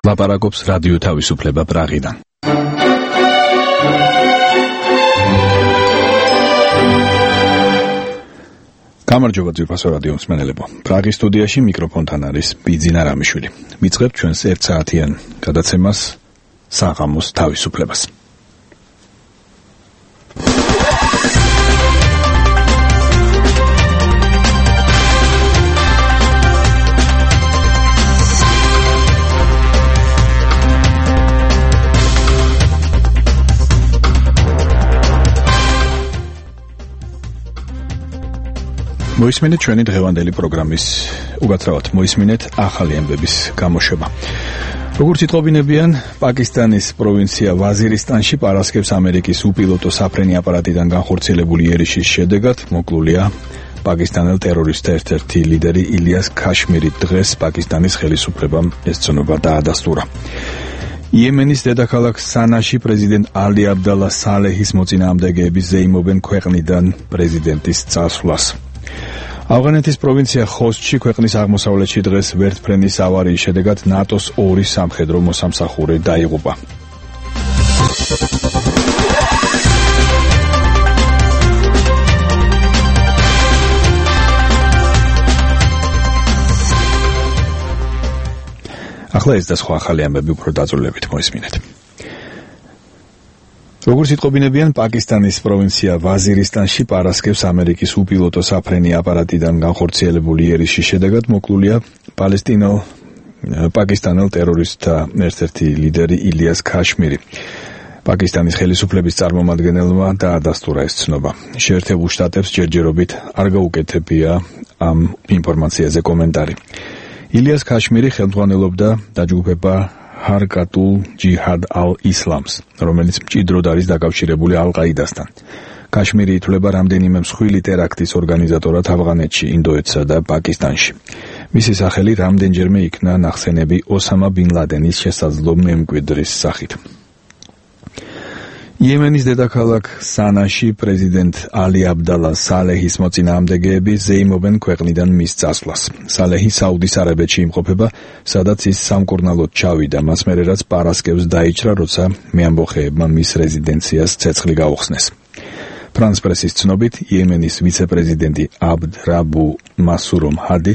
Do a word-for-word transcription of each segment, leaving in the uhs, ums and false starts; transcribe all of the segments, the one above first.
ლაპარაკობს რადიო თავისუფლება პრაღიდან. გამარჯობა ძვირფასო რადიო მსმენელებო. პრაღის სტუდიაში მიკროფონთან არის ბიძინა რამიშვილი. ვიწყებთ ჩვენს ერთ საათიან გადაცემას საღამოს თავისუფლებას. მოისმინეთ ჩვენი დღევანდელი პროგრამის უკაცრავად მოისმინეთ ახალი ამბების გამოშვება. როგორც იტყობინებიან, პაკისტანის პროვინცია ვაზირისტანში პარასკევს ამერიკის უპილოტო საფრენი აპარატიდან განხორციელებული იერიშის შედეგად მოკლულია პაკისტანელ ტერორისტთა ერთ-ერთი ლიდერი ილიას ქაშმირი. დღეს პაკისტანის ხელისუფლებამ ეს ცნობა დაადასტურა. იემენის დედაქალაქ სანაში პრეზიდენტ ალი აბდალა სალეჰის მოწინააღმდეგეები ზეიმობენ ქვეყნიდან პრეზიდენტის წასვლას. ავღანეთის პროვინცია ხოსტში ქვეყნის აღმოსავლეთში დღეს ვერტმფრენის ავარიის შედეგად ნატოს ორი სამხედრო მოსამსახურე დაიღუპა. ახლა ეს და სხვა ახალი ამბები უფრო დაწვრილებით მოისმინეთ. როგორც იტყობინებიან, პაკისტანის პროვინცია ვაზირისტანში პარასკევს ამერიკის უპილოტო საფრენი აპარატიდან განხორციელებული იერიშის შედეგად მოკლულია პალესტინელ პაკისტანელ ტერორისტთა ერთ-ერთი ლიდერი ილიას ქაშმირი. პაკისტანის ხელისუფლების წარმომადგენელმა დაადასტურა ეს ცნობა. შეერთებულ შტატებს ჯერჯერობით არ გაუკეთებია ამ ინფორმაციაზე კომენტარი. ილიას ქაშმირი ხელმძღვანელობდა დაჯგუფება ჰარკატულ ჯიჰად ალ-ისლამს, რომელიც მჭიდროდ არის დაკავშირებული ალ-ყაიდასთან. ქაშმირი ითვლება რამდენიმე მსხვილი ტერაქტის ორგანიზატორად ავღანეთში, ინდოეთსა და პაკისტანში. მისი სახელი რამდენჯერმე იქნა ნახსენები ოსამა ბინ ლადენის შესაძლო მემკვიდრის სახით. იემენის დედაქალაქ სანაში პრეზიდენტ ალი აბდალა სალეჰის მოწინააღმდეგეები ზეიმობენ ქვეყნიდან მის წასვლას. სალეჰი საუდის არაბეთში იმყოფება, სადაც ის სამკურნალოდ ჩავიდა, მას მერე რაც პარასკევს დაიჭრა, როცა მეამბოხეებმა მის რეზიდენციას ცეცხლი გაუხსნეს. ფრანს პრესის ცნობით, იემენის ვიცე-პრეზიდენტი აბდ რაბუ მასურომ ჰადი,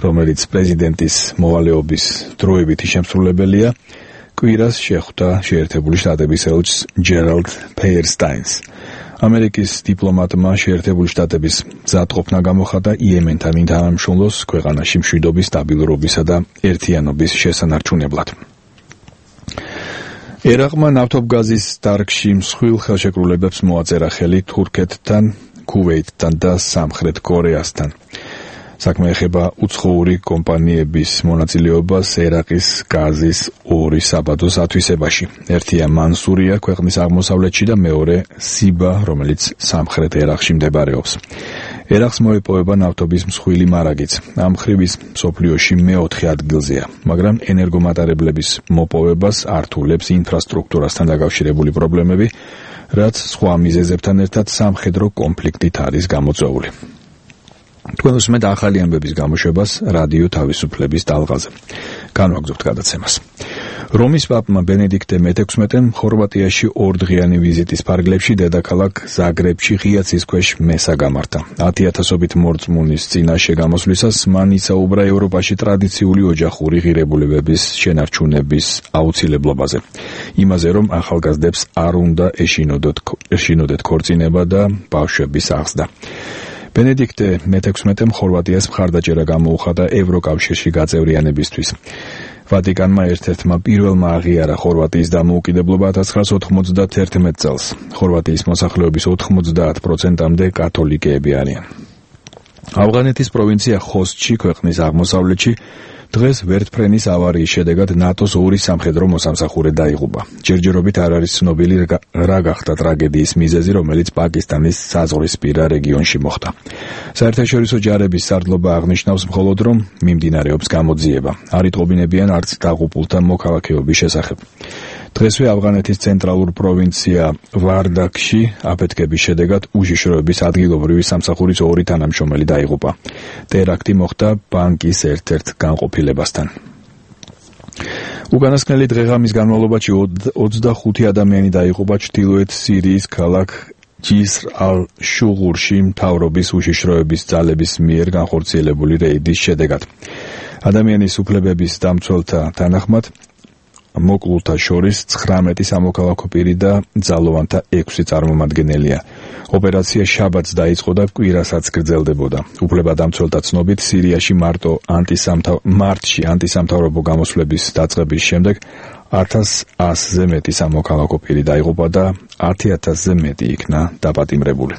რომელიც პრეზიდენტის მოვალეობის დროებითი შემსრულებელია, კვირას შეხვდა შეერთებული შტატების ელჩს ჯერალდ ფეიერსტაინს. ამერიკის დიპლომატმა შეერთებული შტატების მზადყოფნა გამოხატა იემენთან ინთანამშრომლოს ქვეყანაში მშვიდობის, სტაბილურობისა და ერთიანობის შესანარჩუნებლად. ერაყმა ნავთობგაზის დარგში მსხვილ ხელშეკრულებებს მოაწერა ხელი თურქეთთან, ქუვეითთან და სამხრეთ კორეასთან. საქმე ეხება უცხოური კომპანიების მონაწილეობას ერაყის გაზის ორი საბადოს ათვისებაში. ერთია მანსურია ქვეყნის აღმოსავლეთში და მეორე სიბა, რომელიც სამხრეთ ერაყში მდებარეობს. ერაყს მოეპოვება ნავთობის მსხვილი მარაგიც. ამ ხრივის მსოფლიოში მეოთხე ადგილზეა, მაგრამ ენერგომატარებლების მოპოვებას ართულებს ინფრასტრუქტურასთან დაკავშირებული პრობლემები, რაც სხვა მიზეზებთან ერთად სამხედრო კონფლიქტით არის გამოწვეული. თქვენ უსმენთ ახალი ამბების გამოშვებას რადიო თავისუფლების ტალღაზე. განვაგრძობთ გადაცემას. რომის პაპმა ბენედიქტე მეთექვსმეტემ ხორვატიაში ორდღიანი ვიზიტის ფარგლებში დედაქალაქ ზაგრებში ღია ცის ქვეშ მესა გამართა. ათი ათასობით მორწმუნის წინაშე გამოსვლისას მან ისაუბრა ევროპაში ტრადიციული ოჯახური ღირებულებების შენარჩუნების აუცილებლობაზე. იმაზე, რომ ახალგაზრდებს არ უნდა ეშინოდეთ ქორწინება და ბავშვების აღზრდა. ბენედიქტე მეთექვსმეტემ ხორვატიას მხარდაჭერა გამოუხადა ევროკავშირში გაწევრიანებისთვის. ვატიკანმა ერთ-ერთმა პირველმა აღიარა ხორვატიის დამოუკიდებლობა ათას ცხრაასი ოთხმოცდაათი წელს. ხორვატიის მოსახლეობის ოთხმოცდაათ პროცენტამდე კათოლიკეები არიან. ავღანეთის პროვინცია ხოსტში ქვეყნის აღმოსავლეთში დღეს ვერტმფრენის ავარიის შედეგად ნატოს ორი სამხედრო მოსამსახურე დაიღუპა. ჯერჯერობით არ არის ცნობილი რა გახდა ტრაგედიის მიზეზი, რომელიც პაკისტანის საზღვრისპირა რეგიონში მოხდა. საერთაშორისო ჯარების სარდლობა აღნიშნავს მხოლოდ, რომ მიმდინარეობს გამოძიება. არ იტყობინებიან არც დაღუპულთა მოქალაქეობის შესახებ. დღესვე ავღანეთის ცენტრალურ პროვინცია ვარდაკში აფეთქების შედეგად უშიშროების ადგილობრივი სამსახურის ორი თანამშრომელი დაიღუპა. ტერაქტი მოხდა ბანკის ერთ-ერთ განყოფილებასთან. უკანასკნელი დღეღამის განმავლობაში ოცდახუთი ადამიანი დაიღუპა ჩრდილოეთ სირიის ქალაქ ჯისრ ალ-შუღურში მთავრობის უშიშროების ძალების მიერ განხორციელებული რეიდის შედეგად. ადამიანის უფლებების დამცველთა თანახმად მოკლულთა შორის ცხრამეტი სამოქალაქო პირი და ძალოვანთა ექვსი წარმომადგენელია. ოპერაცია შაბათს დაიწყო და კვირასაც გრძელდებოდა. უფლებადამცველთა ცნობით, სირიაში მარტო მარტში ანტისამთავრობო გამოსვლების დაწყების შემდეგ ათას ასზე მეტი სამოქალაქო პირი დაიღუპა და ათი ათასზე მეტი იქნა დაპატიმრებული.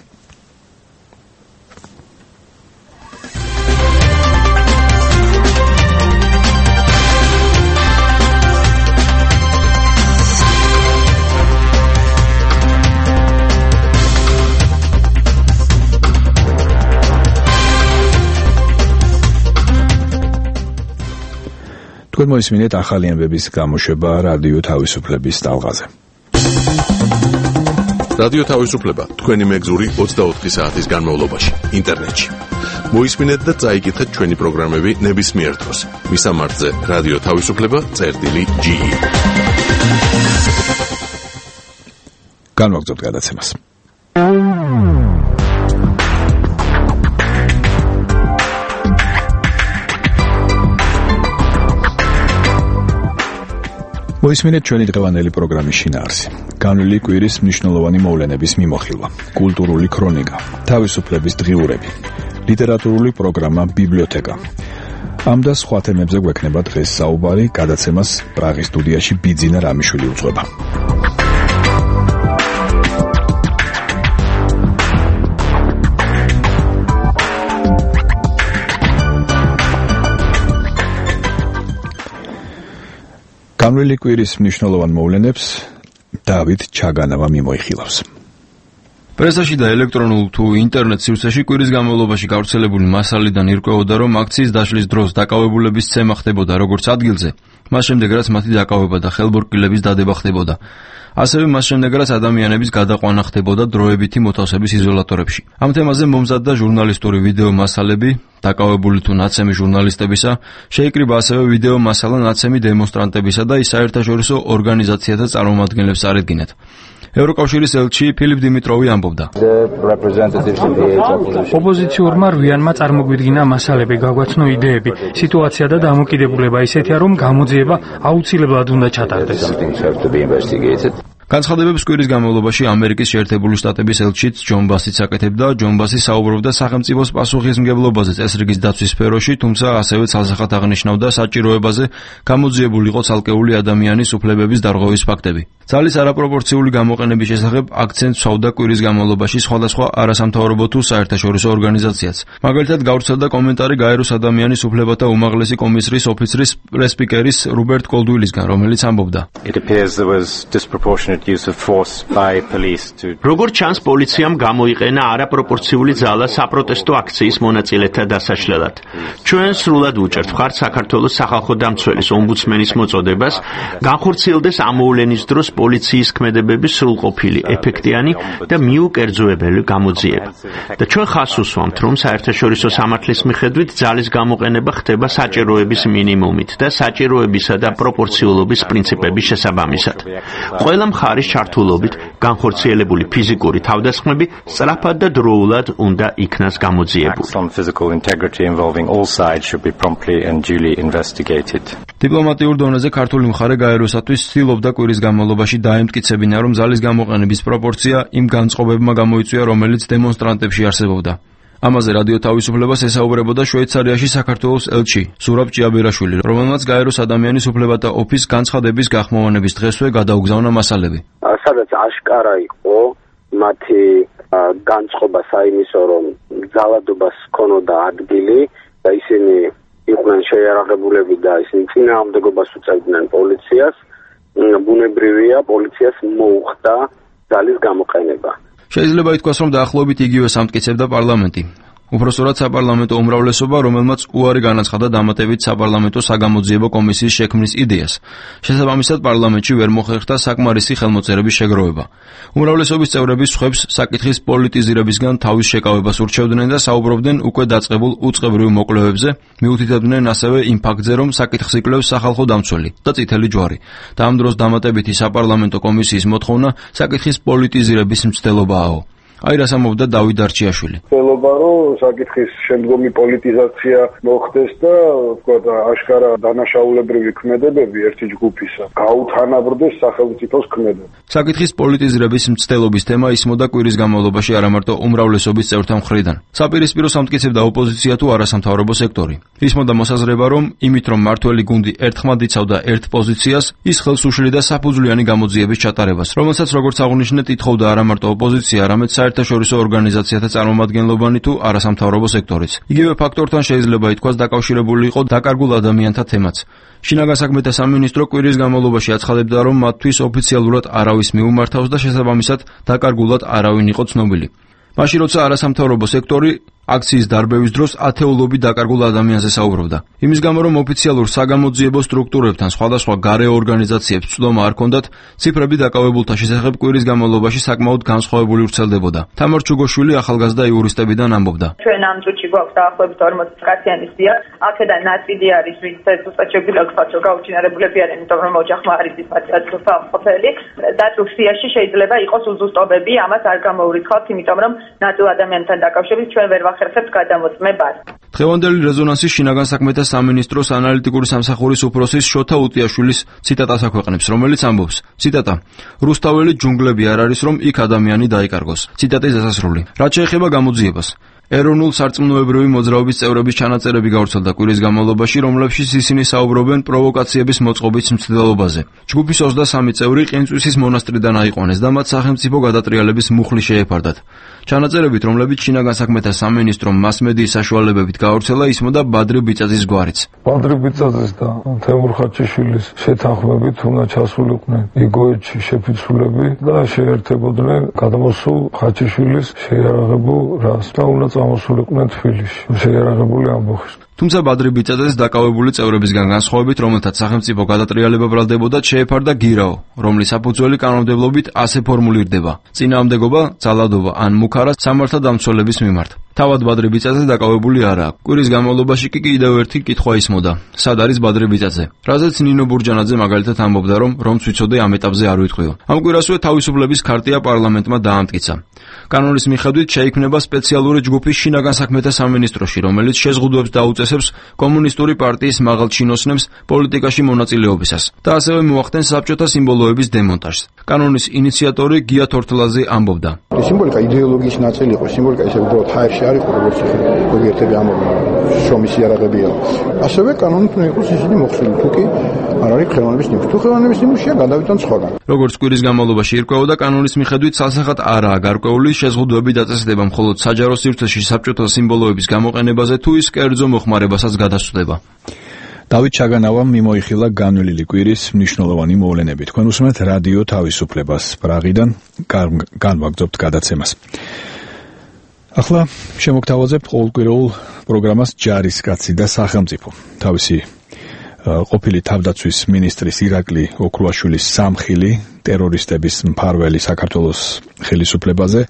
თქვენ მოისმინეთ ახალი ამბების გამოშვება რადიო თავისუფლების ტალღაზე. რადიო თავისუფლება თქვენი მეგზური ოცდაოთხი საათის განმავლობაში ინტერნეტში. მოისმინეთ და წაიკითხეთ ჩვენი პროგრამები ნებისმიერ დროს. მისამართზე რადიო თავისუფლება წერტილი ჯი. განვაგრძობთ გადაცემას. მოისმინეთ ჩვენი დღევანდელი პროგრამის შინაარსი. განვლილი კვირის მნიშვნელოვანი მოვლენების მიმოხილვა, კულტურული ქრონიკა, თავისუფლების დღიურები, ლიტერატურული პროგრამა ბიბლიოთეკა. ამ და სხვა თემებზე გვექნება დღეს საუბარი, გადაცემას პრაღის სტუდიაში ბიძინა რამიშვილი უძღვება. განვლილი კვირის მნიშვნელოვან მოვლენებს დავით ჩაგანავა მიმოიხილავს. პრესაში და ელექტრონულ თუ ინტერნეტ სივრცეში კვირის განმავლობაში გავრცელებული მასალიდან ირკვეოდა, რომ აქციის დაშლის დროს დაკავებულების ცემა ხდებოდა როგორც ადგილზე, მას შემდეგ რაც მათი დაკავება და ხელბორტკილების დადება ხდებოდა. ასევე მას შემდეგ რაც ადამიანების გადაყვანა ხდებოდა დროებითი მოთავსების იზოლატორებში. ამ თემაზე მომზადდა ჟურნალისტური ვიდეო მასალები, დაკავებული თუ ნაცემი ჟურნალისტებისა, შეიკრიბა ასევე ვიდეო მასალა ნაცემი დემონსტრანტებისა და ის საერთაშორისო ორგანიზაციათა წარმომადგენლებს წარედგინათ. ევროკავშირის ელჩი ფილიპ დიმიტროვი ამბობდა: ოპოზიციურმა რვიანმა წარმოგვიდგინა მასალები, გაგვაცნო იდეები, სიტუაცია და დამოკიდებულება ისეთია, რომ გამოძიება აუცილებლად უნდა ჩატარდეს. განცხადებებს კვირის განმავლობაში ამერიკის შეერთებული შტატების ელჩიც ჯონ ბასიც აკეთებდა. ჯონ ბასი საუბრობდა სახელმწიფოს პასუხისმგებლობაზე წესრიგის დაცვის სფეროში, თუმცა ასევე ცალსახად აღნიშნავდა საჭიროებაზე გამოძიებული იყო ცალკეული ადამიანის უფლებების დარღვევის ფაქტები. ძალის არაპროპორციული გამოყენების შესახებ აქცენტს სვავდა კვირის განმავლობაში სხვადასხვა არასამთავრობო თუ საერთაშორისო ორგანიზაციაც. მაგალითად, გავრცელდა კომენტარი გაეროს ადამიანის უფლებათა უმაღლესი კომისრის ოფიცრის პრესპიკერის რობერტ კოლდუილისგან, რომელიც ამბობდა: როგორც ჩანს, პოლიციამ გამოიყენა არაპროპორციული ძალა საპროტესტო აქციის მონაწილეთა დასაშლელად. ჩვენ სრულად ვუჭერთ მხარს საქართველოს სახალხო დამცველის ომბუდსმენის მოწოდებას, განხორციელდეს ამოვლენის დროს პოლიციის ქმედებების სრულყოფილი, ეფექტიანი და მიუკერძოებელი გამოძიება. და ჩვენ ხაზს უსვამთ, რომ საერთაშორისო სამართლის მიხედვით ძალის გამოყენება ხდება საჭიროების მინიმუმით და საჭიროებისა და პროპორციულობის პრინციპების შესაბამისად. ყველა მხარის ჩართულობით განხორციელებული ფიზიკური თავდასხმები სწრაფად და დროულად უნდა იქნას გამოძიებული. დიპლომატიურ დონეზე ქართული მხარე გაეროსათვის ცდილობდა კვირის განმავლობაში დაემტკიცებინა, რომ ძალის გამოყენების პროპორცია იმ განწყობებმა გამოიწვია, რომელიც დემონსტრანტებში არსებობდა. ამაზე რადიო თავისუფლებას ესაუბრებოდა შვეიცარიაში საქართველოს ელჩი ზურაბ ჭიაბერაშვილი, რომელმაც გაეროს ადამიანის უფლებათა ოფისს განცხადების გახმოვანების დღესვე გადაუგზავნა მასალები. სადაც აშკარა იყო მათი განწყობა საიმისო, რომ ძალადობას ჰქონოდა ადგილი და ისინი იყვნენ შეიარაღებულები და ისინი წინააღმდეგობას უწევდნენ პოლიციას, ბუნებრივია პოლიციას მოუხდა ძალის გამოყენება. შეიძლება ითქვას, რომ დაახლოებით იგივეს ამტკიცებდა პარლამენტი. უпроსორად საპარლამენტო უმრავლესობა, რომელმაც უარი განაცხადა დამატებით საპარლამენტო საგამოძიებო კომისიის შექმნის იდეას. შესაბამისად, პარლამენტში ვერ მოხერხდა საკმარისი ხელმოწერების შეგროვება. უმრავლესობის წევრები სხვებს საკითხის პოლიტიზირებისგან თავის შეკავებას ურჩევდნენ და საუბრობდნენ უკვე დაწყებულ უწყებრივ მოკვლევებზე, მიუთითებდნენ ასევე იმ ფაქტზე, რომ საკითხს იკვლევს სახალხო დამცველი და წითელი ჯვარი. და ამ დროს დამატებითი საპარლამენტო კომისიის მოთხოვნა საკითხის პოლიტიზირების მცდელობაა. აი რას ამბობდა დავით დარჩიაშვილი. მცდელობა, რომ საკითხის შემდგომი პოლიტიზაცია მოხდეს და ვთქვათ, აშკარა დანაშაულებრივი ქმედებები ერთი ჯგუფისა გაუთანაბრდეს სახელმწიფოს ქმედებას. საკითხის პოლიტიზირების მცდელობის თემა ისმოდა კვირის განმავლობაში არა მარტო უმრავლესობის წევრთა მხრიდან. საპირისპირო სამტკიცებდა ოპოზიცია თუ არასამთავრობო სექტორი. ისმოდა მოსაზრება, რომ იმით, რომ მართველი გუნდი ერთხმად იცავდა ერთ პოზიციას, ის ხელს უშლიდა საფუძვლიანი გამოძიების ჩატარებას, რომელსაც როგორც აღნიშნეთ, ითხოვდა არა მარტო ოპოზიცია, არამედ საერთაშორისო ორგანიზაციათა წარმომადგენლობანი თუ არასამთავრობო სექტორიც. იგივე ფაქტორთან შეიძლება ითქვას დაკავშირებული იყო დაკარგულ ადამიანთა თემაც. შინაგან საქმეთა სამინისტრო კვირის განმავლობაში აცხადებდა, რომ მათთვის ოფიციალურად არავის მიუმართავს და შესაბამისად დაკარგულად არავინ იყო ცნობილი. მაშინ როცა არასამთავრობო სექტორი აქციის დარბევის დროს ათეულობით დაკარგულ ადამიანზე საუბრობდა. იმის გამო, რომ ოფიციალურ საგამოძიებო სტრუქტურებთან სხვადასხვა გარე ორგანიზაციებს ცდომა არ ჰქონდათ, ციფრები დაკავებულთა შესახებ კვირის განმავლობაში საკმაოდ განსხვავებული ვრცელდებოდა. თამარ ჩუგოშვილი ახალგაზრდა იურისტებიდან ამბობდა. ჩვენ ამ წუთში გვაქვს დაახლოებით ორმოცი კაციანი სია, აქედან ნაწილი არის ვინც ზუსტად შეგვიძლია ვთქვათ, რომ გაუჩინარებულები არიან, იმიტომ რომ ოჯახმა არ იცის მათი ყოფილი. დაწულ სიაში შეიძლება იყოს უზუსტობები, ამას არ გამოურიცხავთ, იმიტომ რომ ნაწილ ადამიანთან დაკავშირებით ჩვენ ვერ ხერხებს გადამოწმებას. დღევანდელი რეზონანსის შინაგან საქმეთა სამინისტროს ანალიტიკური სამსახურის უფროსის შოთა უტიაშვილის ციტატას აქვეყნებს, რომელიც ამბობს: ციტატა: რუსთაველი ჯუნგლები არ არის, რომ იქ ადამიანი დაიკარგოს. ციტატის დასასრული. რაც შეეხება გამოძიებას, ეროვნულ სარწმუნოებრივი მოძრაობის წევრების ჩანაწერები გავრცელდა კვირის განმავლობაში, რომლებშიც ისინი საუბრობენ პროვოკაციების მოწყობის მცდელობაზე. ჯგუფის ოცდასამი წევრი ყინწვისის მონასტრიდან აიყვანეს და მათ სახელმწიფო გადატრიალების მუხლი შეეფარდათ. ჩანაწერებით, რომლებიც შინაგან საქმეთა სამინისტრომ მასმედიის საშუალებებით გაავრცელა, ისმოდა ბადრი ბიწაძის გვარიც. ბადრი ბიწაძის და თემურ ხაჩიშვილის შეთანხმებით უნდა ჩასულიყვნენ იგოეთში შეფიცულები და შეერთებოდნენ გადამოსულ ხაჩიშვილის შეიარაღებულ რას და უნდა წამოსულიყვნენ თბილისში შეიარაღებული ამბოხის. თუმცა ბადრი ბიწაძეს დაკავებული წევრებისგან განსხვავებით, რომელთაც სახელმწიფო გადატრიალება ბრალდებოდა, შეეფარდა გირაო, რომლის საფუძველი კანონმდებლობით ასე ფორმულირდება: წინააღმდეგობა, ძალადობა ან მუქარა სამართალდამცველების მიმართ. თავად ბადრი ბიწაძე დაკავებული არაა. კვირის განმავლობაში კი კიდევ ერთი კითხვა ისმოდა: სად არის ბადრი ბიწაძე? რაზეც ნინო ბურჯანაძე მაგალითად ამბობდა, რომ რომც ვიცოდე ამ ეტაპზე არ ვიტყვიო. ამ კვირასვე თავისუფლების ქარტია პარლამენტმა დაამტკიცა. კანონის მიხედვით შეიქმნება სპეციალური ჯგუფი შინაგან საქმეთა სამინისტროში, რომელიც შეზღუდვებს დაუწესებს კომუნისტური პარტიის მაღალჩინოსნებს პოლიტიკაში მონაწილეობისას და ასევე მოახდენს საბჭოთა სიმბოლოების დემონტაჟს. კანონის ინიციატორი გია თორთლაძე ამბობდა: სიმბოლიკა იდეოლოგიის ნაწილი იყო, სიმბოლიკა ისე უბრალოდ ჰაერში არ იყო, როგორც ზოგიერთები ამბობენ, შრომის იარაღებია. ასევე კანონით უნდა იყოს ისინი მოხსნილი, თუ კი არ არის ხელოვნების ნიმუში. თუ ხელოვნების ნიმუშია, გადავიტან სხვაგან. როგორც კვირის განმავლობაში ირკვეოდა, კანონის მიხედვით სასახად არაა გარკვეული შეზღუდვები დაწესდება მხოლოდ საჯარო სივრცეში საბჭოთა სიმბოლოების გამოყენებაზე თუ ის კერძო მოხმარებასაც გადასწრება. დავით ჩაგანავამ მიმოიხილა განვლილი კვირის მნიშვნელოვანი მოვლენები. თქვენ უსმენთ რადიო თავისუფლებას პრაღიდან, განვაგრძობთ გადაცემას. ახლა შემოგთავაზებთ ყოველკვირეულ პროგრამას ჯარისკაცი და სახელმწიფო. თავისი ყოფილი თავდაცვის მინისტრის ირაკლი ოქრუაშვილის სამხილი ტერორისტების მფარველი საქართველოს ხელისუფლებაზე,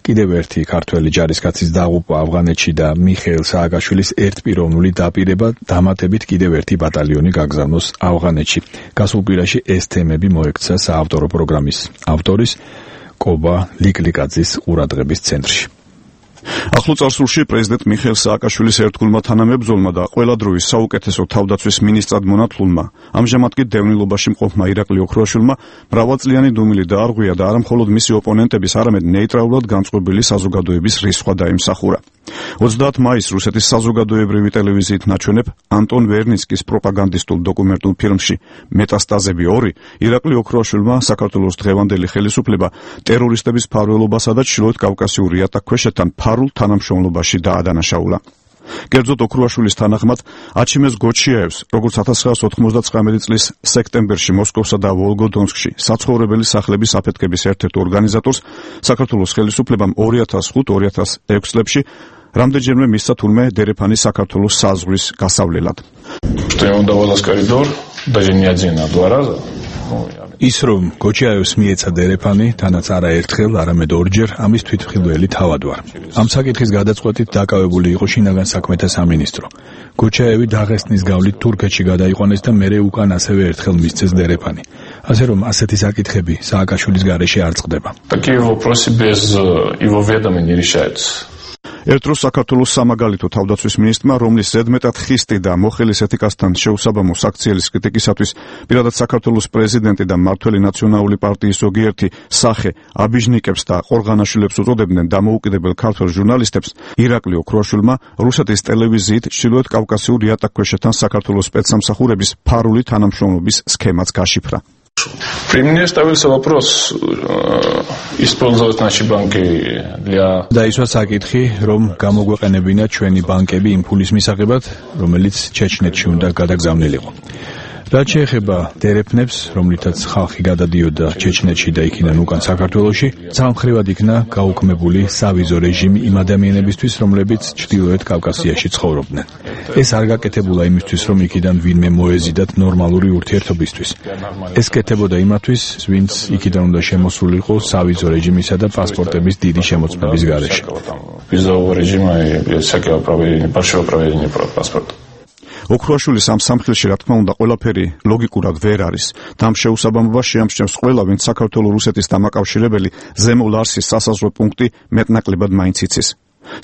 კიდევ ერთი ქართველი ჯარისკაცის დაღუპვა ავღანეთში და მიხეილ სააკაშვილის ერთპიროვნული დაპირება, დამატებით კიდევ ერთი ბატალიონი გაგზავნოს ავღანეთში. გასულ კვირაში ეს თემები მოექცა საავტორო პროგრამის ავტორის კობა ლიკლიკაძის ყურადღების ცენტრში. ახლო წარსულში პრეზიდენტ მიხეილ სააკაშვილის ერთგულმა თანამებრძოლმა და ყველა დროის საუკეთესო თავდაცვის მინისტრად მონათლულმა, ამჟამად კი დევნილობაში მყოფმა ირაკლი ოქრუაშვილმა მრავალწლიანი დუმილი დაარღვია და არა მხოლოდ მისი ოპონენტების, არამედ ნეიტრალურად განწყობილი საზოგადოების რისხვა დაიმსახურა. ოცდაათი მაისს რუსეთის საზოგადოებრივი ტელევიზიით ნაჩვენებ ანტონ ვერნიცკის პროპაგანდისტულ დოკუმენტურ ფილმში მეტასტაზები ორი ირაკლი ოქრუაშვილმა საქართველოს დღევანდელი ხელისუფლება ტერორისტების მფარველობასა და ჩრდილოეთ კავკასიურ იატაკქვეშეთთან ფარულ თანამშრომლობაში დაადანაშაულა. კერძოდ ოქრუაშვილის თანახმად აჩიმეს გოჩიაევს, როგორც ათას ცხრაას ოთხმოცდათხრამეტი წლის სექტემბერში მოსკოვსა და ვოლგოდონსკში საცხოვრებელი სახლების აფეთქების ერთ-ერთ ორგანიზატორს საქართველოს ხელისუფლებამ ორი ათას ხუთი ორი ათას ექვსი წლებში რამდენჯერმე მისცა თურმე დერეფანი საქართველოს საზღვრის გასავლელად. ის რომ გოჩაევს მიეცა დერეფანი, თანაც არა ერთხელ, არამედ ორჯერ ამის თვითმხილველი თავად ვარ. ამ საკითხის გადაწყვეტით დაკავებული იყო შინაგან საქმეთა სამინისტრო. გოჩაევი დაღესტნის გავლით თურქეთში გადაიყვანეს და მერე უკან ასევე ერთხელ მისცეს დერეფანი. ასე რომ ასეთი საკითხები სააკაშვილის გარეშე არ წყდება. ერთ დროს საქართველოს სამაგალითო თავდაცვის მინისტრმა, რომლის ზედმეტად ხისტი და მოხელის ეთიკასთან შეუსაბამო საქციელის კრიტიკისათვის პირადად საქართველოს პრეზიდენტი და მმართველი ნაციონალური პარტიის ზოგიერთი სახე აბიჟნიკებს და ყორღანაშვილებს უწოდებდნენ დამოუკიდებელ ქართველ ჟურნალისტებს, ირაკლი ოქროაშვილმა რუსეთის ტელევიზიით ჩრდილოეთ კავკასიურ იატაკქვეშეთთან საქართველოს სპეცსამსახურების ფარული თანამშრომლობის სქემაც გაშიფრა. При мне ставился вопрос использовать наши банки для დაისვა საკითხი, რომ გამოგვეყენებინა ჩვენი ბანკები იმ ფულის მისაღებად, რომელიც ჩეჩნეთში უნდა გადაგზავნილიყო. რაც შეეხება დერეფნებს, რომლითაც ხალხი გადადიოდა ჩეჩნეთში და იქიდან უკან საქართველოში, სამხრივად იქნა გაუქმებული სავიზო რეჟიმი იმ ადამიანებისთვის, რომლებიც ჩრდილოეთ კავკასიაში ცხოვრობდნენ. ეს არ გაკეთებულა იმისთვის, რომ იქიდან ვინმე მოეზიდათ ნორმალური ურთიერთობისთვის. ეს კეთებოდა იმათვის, ვინც იქიდან უნდა შემოსულიყო სავიზო რეჟიმისა და პასპორტების დიდი შემოწმების გარეშე. визового режима и всякого проведения, большого проведения паспорта. ოქროაშვილის ამ სამხილში, რა თქმა უნდა, ყველაფერი ლოგიკურად ვერ არის. და ამ შეუსაბამობას შეამჩნევს ყველა, ვინც საქართველოს-რუსეთის დამაკავშირებელი ზემო ლარსის სასაზღვრო პუნქტი მეტნაკლებად მაინც იცის.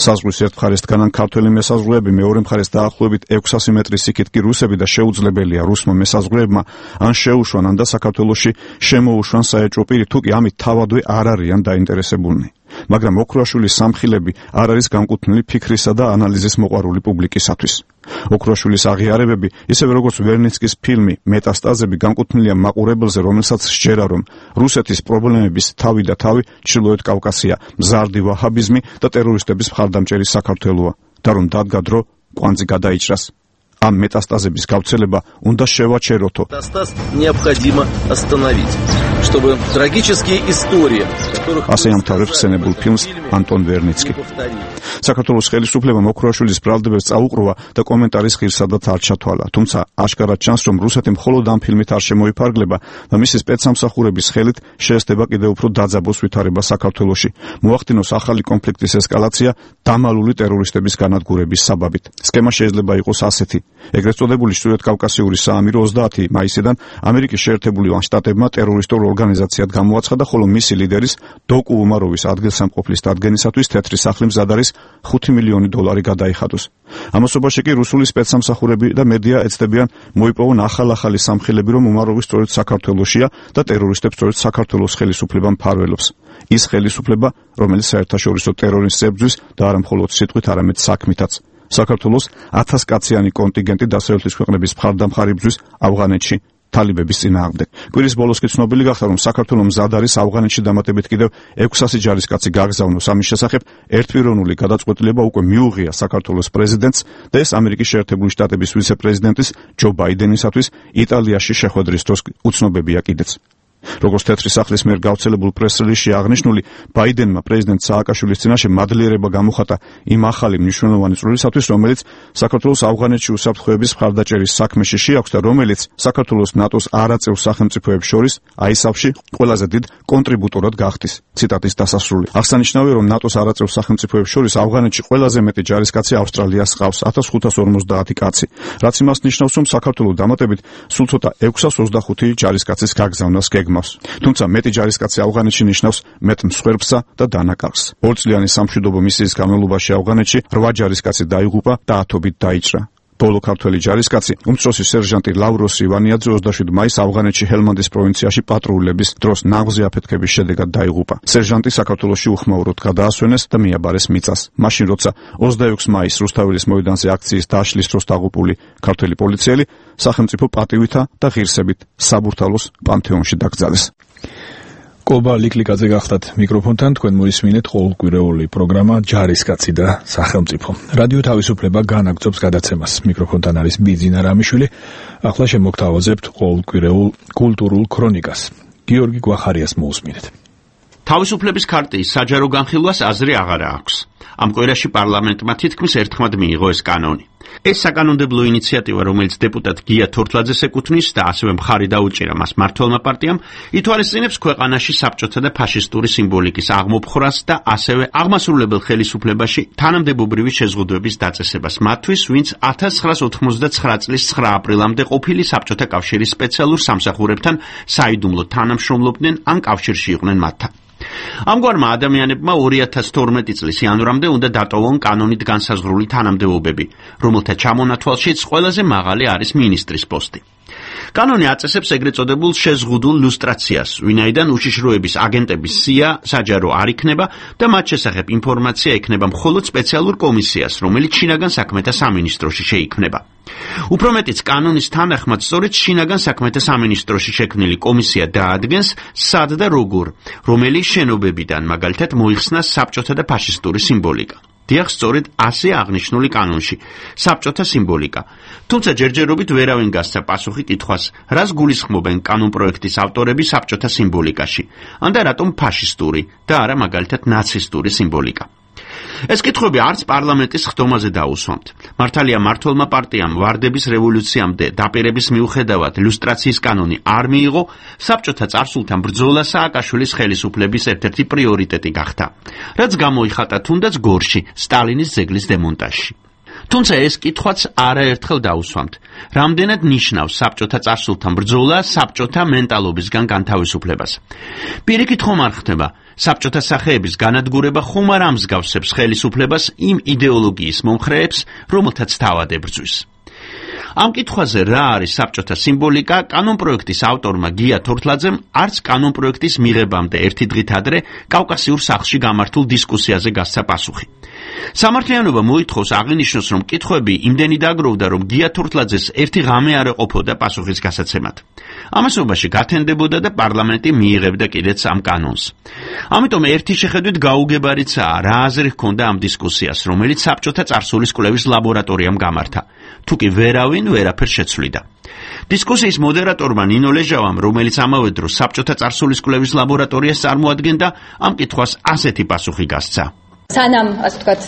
საზღვრის ერთ მხარეს დგანან ქართველი მესაზღვრეები, მეორე მხარეს დაახლოებით ექვსასი მეტრის იქით კი რუსები და შეუძლებელია რუსმა მესაზღვრეებმა ან შეუშვან, ან და საქართველოში შემოუშვან საეჭვო პირი, თუ კი ამით თავადვე არ არიან დაინტერესებულნი. მაგრამ ოქროაშვილის სამხილები არ არის განკუთვნილი ფიქრისა და ანალიზის მოყვარული პუბლიკისათვის. ოქროაშვილის აღიარებები, ისევე როგორც ვერნიცკის ფილმი მეტასტაზები, განკუთვნილია მაყურებელზე, რომელსაც სჯერა, რომ რუსეთის პრობლემების თავი და თავი ჩრდილოეთ კავკასია, მზარდი ვაჰაბიზმი და ტერორისტების მხარდამჭერი საქართველოა და რომ დადგა დრო კვანძი გადაიჭრას. ამ მეტასტაზების გავრცელება უნდა შევაჩეროთო. Метастаз необходимо остановить, чтобы трагические истории, которых ასე ამთავრებს ხსენებულ ფილმს ანტონ ვერნიცკი. საქართველოს ხელისუფლებამ ოქროაშვილის ბრალდებებს წაუყროვა და კომენტარის ღირსადად არ ჩათვალა, თუმცა აშკარად ჩანს, რომ რუსეთი მხოლოდ ამ ფილმით არ შემოიფარგლება და მისი სპეცსამსახურების ხელით შეესწება კიდევ უფრო დაძაბოს ვითარება საქართველოში, მოახდინოს ახალი კონფლიქტის ესკალაცია დამალული ტერორისტების განადგურების საბაბით. სქემა შეიძლება იყოს ასეთი: ეგრეთ წოდებული ჩრდილოეთ კავკასიური საამირო ოცდაათი მაისიდან ამერიკის შეერთებული შტატებმა ტერორისტულ ორგანიზაციად გამოაცხადა, ხოლო მისი ლიდერის დოკუ უმაროვის ადგილსამყოფლის დადგენისათვის თეთრი სახლი მზად არის ხუთი მილიონი დოლარი გადაიხადოს. ამასობაში კი რუსული სპეცსამსახურები და მედია ეცდებიან მოიპოვონ ახალ-ახალი სამხილები, რომ უმაროვი სწორედ საქართველოშია და ტერორისტებს სწორედ საქართველოს ხელისუფლება მფარველობს. ის ხელისუფლება, რომელიც საერთაშორისო ტერორიზმს ებრძვის და არა მხოლოდ სიტყვით, არამედ საქმითაც. საქართველოს ათასკაციანი კონტინგენტი დასავლეთის ქვეყნების მხარდამხარი ბრძვის ავღანეთში თალიბების წინააღმდეგ. კვირის ბოლოს კი ცნობილი გახდა, რომ საქართველოს მზად არის ავღანეთში დამატებით კიდევ ექვსასი ჯარისკაცი გაგზავნოს. ამის შესახებ ერთპიროვნული გადაწყვეტილება უკვე მიუღია საქართველოს პრეზიდენტს და ეს ამერიკის შეერთებული შტატების ვიცე-პრეზიდენტის ჯო ბაიდენისათვის იტალიაში შეხვედრის დროს უცნობებია კიდეც. როგორც თეთრი სახლის მიერ გავრცელებულ პრეს-რელიზში აღნიშნული, ბაიდენმა პრეზიდენტ სააკაშვილის წინაშე მადლიერება გამოხატა იმ ახალი მნიშვნელოვანი წვლილისათვის, რომელიც საქართველოს ავღანეთში უსაფრთხოების მხარდაჭერის საქმეში შეაქვს და რომელიც საქართველოს ნატოს არაწევ სახელმწიფოებს შორის აისაფში ყველაზე დიდ კონტრიბუტორად გახდის. ციტატის დასასრული. აღსანიშნავია, რომ ნატოს არაწევ სახელმწიფოებს შორის ავღანეთში ყველაზე მეტი ჯარისკაცი ავსტრალიას ჰყავს ათას ხუთას ორმოცდაათი კაცი, რაც იმას ნიშნავს, რომ საქართველოს დამატებით სულ ცოტა ექვსას ოცდახუთი ჯარისკაცის გაგზავნას გეგმავს. თუმცა მეტი ჯარისკაცი ავღანეთში ნიშნავს მეტ მსხვერპლსა და დანაკარგს. ორწლიანი სამშვიდობო მისიის განმავლობაში ავღანეთში რვა ჯარისკაცი დაიღუპა და ათობით დაიჭრა. ბოლო ქართველი ჯარისკაცი, უმცროსი სერჟანტი ლავროს ივანიაძე ოცდაშვიდი მაისს ავღანეთში ჰელმანდის პროვინციაში პატრულების დროს ნაღზე აფეთქების შედეგად დაიღუპა. სერჟანტი საქართველოში უხმაუროდ გადაასვენეს და მიაბარეს მიწას. მაშინ როცა ოცდაექვსი მაისს რუსთაველის მოედანზე აქციის დაშლის დროს დაღუპული ქართველი პოლიციელი სახელმწიფო პატივითა და ღირსებით საბურთალოს პანთეონში დაკრძალეს. კობა ლიკლიკაძე გახდათ მიკროფონთან, თქვენ მოისმინეთ ყოველკვირეული პროგრამა ჯარისკაცი და სახელმწიფო. რადიო თავისუფლება განაგრძობს გადაცემას. მიკროფონთან არის ბიძინა რამიშვილი. ახლა შემოგთავაზებთ ყოველკვირეულ კულტურულ ქრონიკას. გიორგი გვახარიას მოусმინეთ. თავისუფლების ქარტიის საჯარო განხილვას აზრი აღარა აქვს. ამ კვირაში პარლამენტმა თითქმის ერთხმად მიიღო ეს კანონი. ეს საკანონმდებლო ინიციატივა, რომელიც დეპუტატ გია თორთლაძეს ეკუთვნის და ასევე მხარი დაუჭირა მას მმართველმა პარტიამ, ითვალისწინებს ქვეყანაში საბჭოთა და ფაშისტური სიმბოლიკის აღმოფხრას და ასევე აღმასრულებელ ხელისუფლებაში თანამდებობრივი შეზღუდვების დაწესებას მათთვის, ვინც ათას ცხრაას ოთხმოცდაცხრა წლის ცხრა აპრილამდე ყოფილი საბჭოთა კავშირის სპეციალურ სამსახურებთან საიდუმლოდ თანამშრომლობდნენ ან კავშირში იყვნენ მათთან. ამგვარმა ადამიანებმა ორი ათას თორმეტი წლის იანვრამდე უნდა დატოვონ კანონით განსაზღვრული თანამდებობები, რომელთა ჩამონათვალშიც ყველაზე მაღალი არის მინისტრის პოსტი. კანონი აწესებს ეგრეთ წოდებულ შეზღუდულ ლუსტრაციას, ვინაიდან უშიშროების აგენტების სია საჯარო არ იქნება და მათ შესახებ ინფორმაცია ექნება მხოლოდ სპეციალურ კომისიას, რომელიც შინაგან საქმეთა სამინისტროში შეიქმნება. უფრო მეტიც, კანონის თანახმად სწორედ შინაგან საქმეთა სამინისტროში შექმნილი კომისია დაადგენს, სად და როგორ, რომელი შენობებიდან მაგალითად მოიხსნა საბჭოთა და ფაშისტური სიმბოლიკა. დიახ, სწორედ ასე აღნიშნული კანონში, საბჭოთა სიმბოლიკა. თუმცა ჯერჯერობით ვერავინ გასცა პასუხი კითხვას, რას გულისხმობენ კანონპროექტის ავტორები საბჭოთა სიმბოლიკაში, ან და რატომ ფაშისტური და არა მაგალითად ნაცისტური სიმბოლიკა. ეს კითხვები არც პარლამენტის ხდომაზე დაუსვამთ. მართალია მმართველმა პარტიამ ვარდების რევოლუციამდე დაპირების მიუხედავად ლუსტრაციის კანონი არ მიიღო, საბჭოთა წარსულთან ბრძოლა სააკაშვილის ხელისუფლების ერთ-ერთი პრიორიტეტი გახდა, რაც გამოიხატა თუნდაც გორში სტალინის ძეგლის დემონტაჟში. თუმცა ეს კითხვაც არაერთხელ დაუსვამთ. რამდენად ნიშნავს საბჭოთა წარსულთან ბრძოლა საბჭოთა მენტალობისგან განთავისუფლებას? პირიქით ხომ არ ხდება, საბჭოთა სახეების განადგურება ხომ არ ამსგავსებს ხელისუფლებას იმ იდეოლოგიის მომხრეებს, რომელთაც თავად ებრძვის. ამ კითხვაზე რა არის საბჭოთა სიმბოლიკა, კანონპროექტის ავტორმა გია თორთლაძემ არც კანონპროექტის მიღებამდე ერთი დღით ადრე კავკასიურ სახლში გამართულ დისკუსიაზე გასცა პასუხი. სამართლიანობა მოითხოვს აღინიშნოს, რომ კითხვები იმდენი დაგროვდა, რომ გია თორთლაძეს ერთი ღამე არ ეყოფოდა პასუხის გასაცემად. ამასობაში გათენდებოდა და პარლამენტი მიიღებდა კიდეც ამ კანონს. ამიტომ ერთი შეხედვით გაუგებარიცაა, რა აზრი ჰქონდა ამ დისკუსიას, რომელიც საბჭოთა წარსულის კვლევის ლაბორატორიამ გამართა. თუკი ვერავინ ვერაფერს შეცვლიდა. დისკუსიის მოდერატორმა ნინო ლეჟავამ, რომელიც ამავე დროს საბჭოთა წარსულის კვლევის ლაბორატორიას წარმოადგენდა, ამ კითხვას ასეთი პასუხი გასცა. სანამ, ასე ვთქვათ,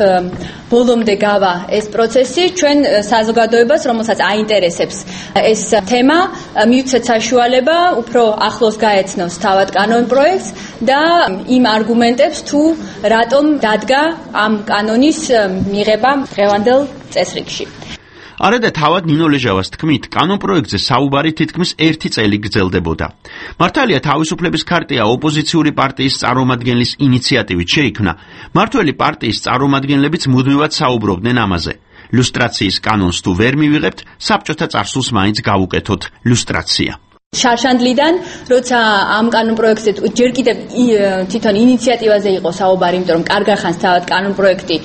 ბოლომდე გავა ეს პროცესი, ჩვენ საზოგადოებას, რომელსაც აინტერესებს ეს თემა, მივცეთ საშუალება უფრო ახლოს გაეცნოს თავად კანონპროექტს და იმ არგუმენტებს, თუ რატომ დადგა ამ კანონის მიღება დღევანდელ წესრიგში. არა და თავად ნინო ლეჟავას თქმით, კანონპროექტზე საუბარი თითქმის ერთი წელი გრძელდებოდა. მართალია თავისუფლების ქარტია ოპოზიციური პარტიის წარმომადგენლის ინიციატივით შეიქმნა, მმართველი პარტიის წარმომადგენლებიც მუდმივად საუბრობდნენ ამაზე. ლუსტრაციის კანონს თუ ვერ მივიღებთ, საბჭოთა წარსულს მაინც გავუკეთოთ ლუსტრაცია. შარშანდლიდან, როცა ამ კანონპროექტზე ჯერ კიდევ თვითონ ინიციატივაზე იყო საუბარი, იმიტომ რომ კარგად ხანს თავად კანონპროექტი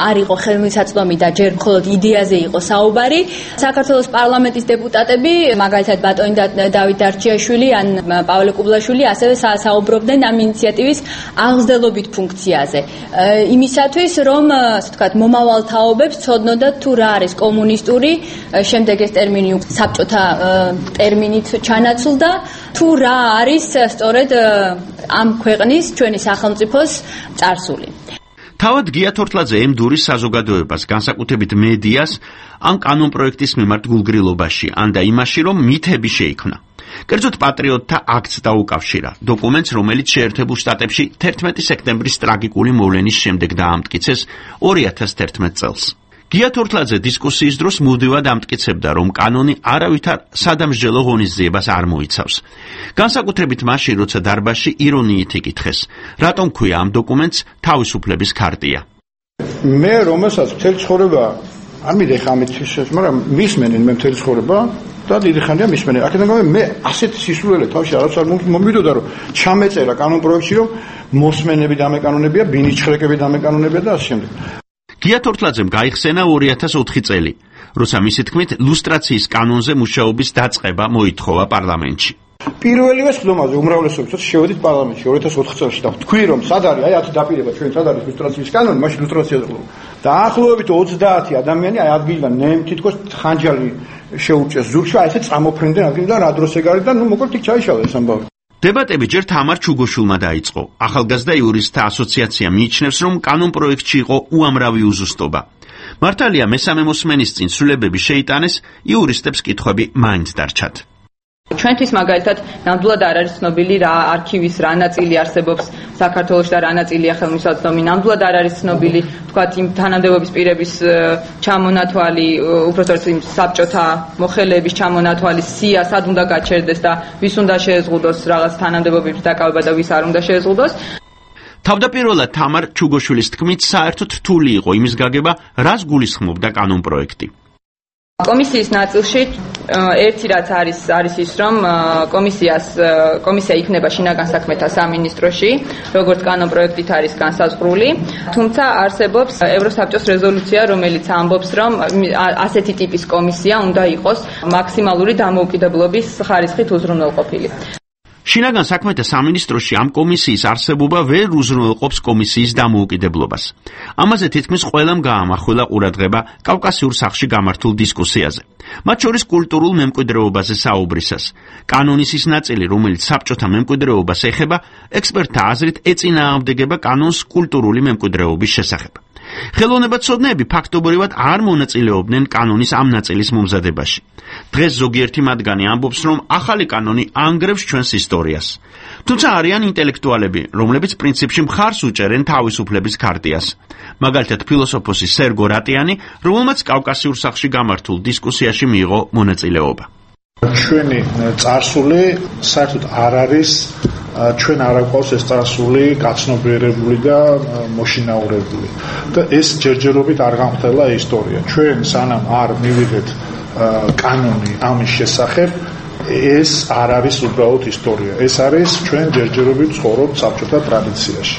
არ იყო ხელმისაწვდომი და ჯერ მხოლოდ იდეაზე იყო საუბარი. საქართველოს პარლამენტის დეპუტატები, მაგალითად ბატონი დავით დარჩიაშვილი ან პავლე კუბლაშვილი, ასევე საუბრობდნენ ამ ინიციატივის აღზრდელობით ფუნქციაზე. იმისათვის, რომ, ასე ვთქვათ, მომავალ თაობებს ცოდნოდათ თუ რა არის კომუნისტური, შემდეგ ეს ტერმინი საბჭოთა ტერმინით ჩანაცვლდა, თუ რა არის სწორედ ამ ქვეყნის, ჩვენი სახელმწიფოს წარსული. თავად გია თორთლაძე ემდურის საზოგადოებას, განსაკუთრებით მედიას, ამ კანონპროექტის მიმართ გულგრილობაში, ან და იმაში, რომ მითები შეიქმნა. კერძოდ პატრიოტთა აქტს დაუკავშირა, დოკუმენტს, რომელიც შეერთებულ შტატებში თერთმეტი სექტემბრის ტრაგიკული მოვლენის შემდეგ დაამტკიცეს ორი ათას თერთმეტ წელს. გია თორთლაძე დისკუსიის დროს მუდმივად ამტკიცებდა, რომ კანონი არავითარ სადამსჯელო ღონისძიებას არ მოიცავს. განსაკუთრებით მაშინ, როცა დარბაზში ირონიით იკითხეს, რატომ ქვია ამ დოკუმენტს თავისუფლების ქარტია. მე რომელსაც მთელი ცხოვრება არ მიდიხ ამით ისე, მაგრამ მისმენენ მე მთელი ცხოვრება და დიდი ხანია მისმენენ. აქედან გამომდინარე, მე ასეთ სისულელე თავში არც არ მომიდოდა, რომ ჩამეწერა კანონპროექტში, რომ მოსმენები დამეკანონებია, ბინიჩხრეკები დამეკანონებია და ასე შემდეგ. გია თორთლაძემ გაიხსენა ორი ათას ოთხი წელი, როცა მისი თქმით ლუსტრაციის კანონზე მუშაობის დაწყება მოითხოვა პარლამენტში. პირველივე ხდომაზე უმრავლესობითაც შევედით პარლამენტში ორი ათას ოთხ წელს და თქვი რომ სად არის აი ათი დაპირება ჩვენ სად არის ლუსტრაციის კანონი, მაშინ ლუსტრაციაზე ყო. დაახლოებით ოცდაათი ადამიანი აი ადგილიდან ნემ თითქოს ხანჯალი შეუჭეს ზურგში, აი ესე წამოფრინდნენ ადგილიდან რა დროს ეგ არის და ნუ მოკლედ იქ ჩაიშალა ეს ამბავი. დებატები ჯერ თამარ ჩუგოშვილმა დაიწყო. ახალგაზრდა იურისტთა ასოციაცია მიიჩნევს, რომ კანონ პროექტში იყო უამრავი უზუსტობა. მართალია მესამე მოსმენის წინ ცვლილებები შეიტანეს, იურისტებს კითხვები მაინც დარჩათ. ჩვენთვის მაგალითად ნამდვილად არ არის ცნობილი რა არქივის რა ნაწილი არსებობს საქართველოში და რა ნაწილია ხელმისაწვდომი. ნამდვილად არ არის ცნობილი თქვათ იმ თანამდებობის პირების ჩამონათვალი, უბრალოდ იმ საბჭოთა მოხელეების ჩამონათვალი სია სად უნდა გაჩერდეს და ვის უნდა შეეზღუდოს რაღაც თანამდებობების დაკავება და ვის არ უნდა შეეზღუდოს. თავდაპირველად თამარ ჩუგოშვილის თქმით საერთოდ რთული იყო იმის გაგება, რას გულისხმობდა კანონ პროექტი. კომისიის ნაწილში ერთი რაც არის არის ის რომ კომისიას კომისია იქნება შინაგან საქმეთა სამინისტროში, როგორც კანონ პროექტით არის განსაზღვრული, თუმცა არსებობს ევროსაბჭოს რეზოლუცია, რომელიც ამბობს, რომ ასეთი ტიპის კომისია უნდა იყოს მაქსიმალური დამოუკიდებლობის ხარისხით უზრუნველყოფილი. შინაგან საქმეთა სამინისტროში ამ კომისიის არსებობა ვერ უზრუნველყოფს კომისიის დამოუკიდებლობას. ამაზე თითქმის ყველამ გაამახვილა ყურადღება კავკასიურ სახლში გამართულ დისკუსიაზე. მათ შორის კულტურულ მემკვიდრეობაზე საუბრისას. კანონის ის ნაწილი, რომელიც საბჭოთა მემკვიდრეობას ეხება, ექსპერტთა აზრით ეწინააღმდეგება კანონს კულტურული მემკვიდრეობის შესახებ. ხელოვნებაცოდნეები ფაქტობრივად არ მონაწილეობდნენ კანონის ამ ნაწილის მომზადებაში. დღეს ზოგიერთი მათგანი ამბობს, რომ ახალი კანონი ანგრევს ჩვენს ისტორიას. თუმცა არიან ინტელექტუალები, რომლებიც პრინციპში მხარს უჭერენ თავისუფლების ქარტიას. მაგალითად ფილოსოფოსი სერგო რატიანი, რომელმაც კავკასიურ სახლში გამართულ დისკუსიაში მიიღო მონაწილეობა. ჩვენი წარსული საერთოდ არ არის ჩვენ არ აკვავს ეს წარსული გაცნობიერებული და მოშინაურებული და ეს ჯერჯერობით არ განხდელა ისტორია. ჩვენ სანამ არ მივიღეთ კანონი ამის შესახებ, ეს არ არის უბრალოდ ისტორია. ეს არის ჩვენ ჯერჯერობით ცხოვრობთ საბჭოთა ტრადიციაში.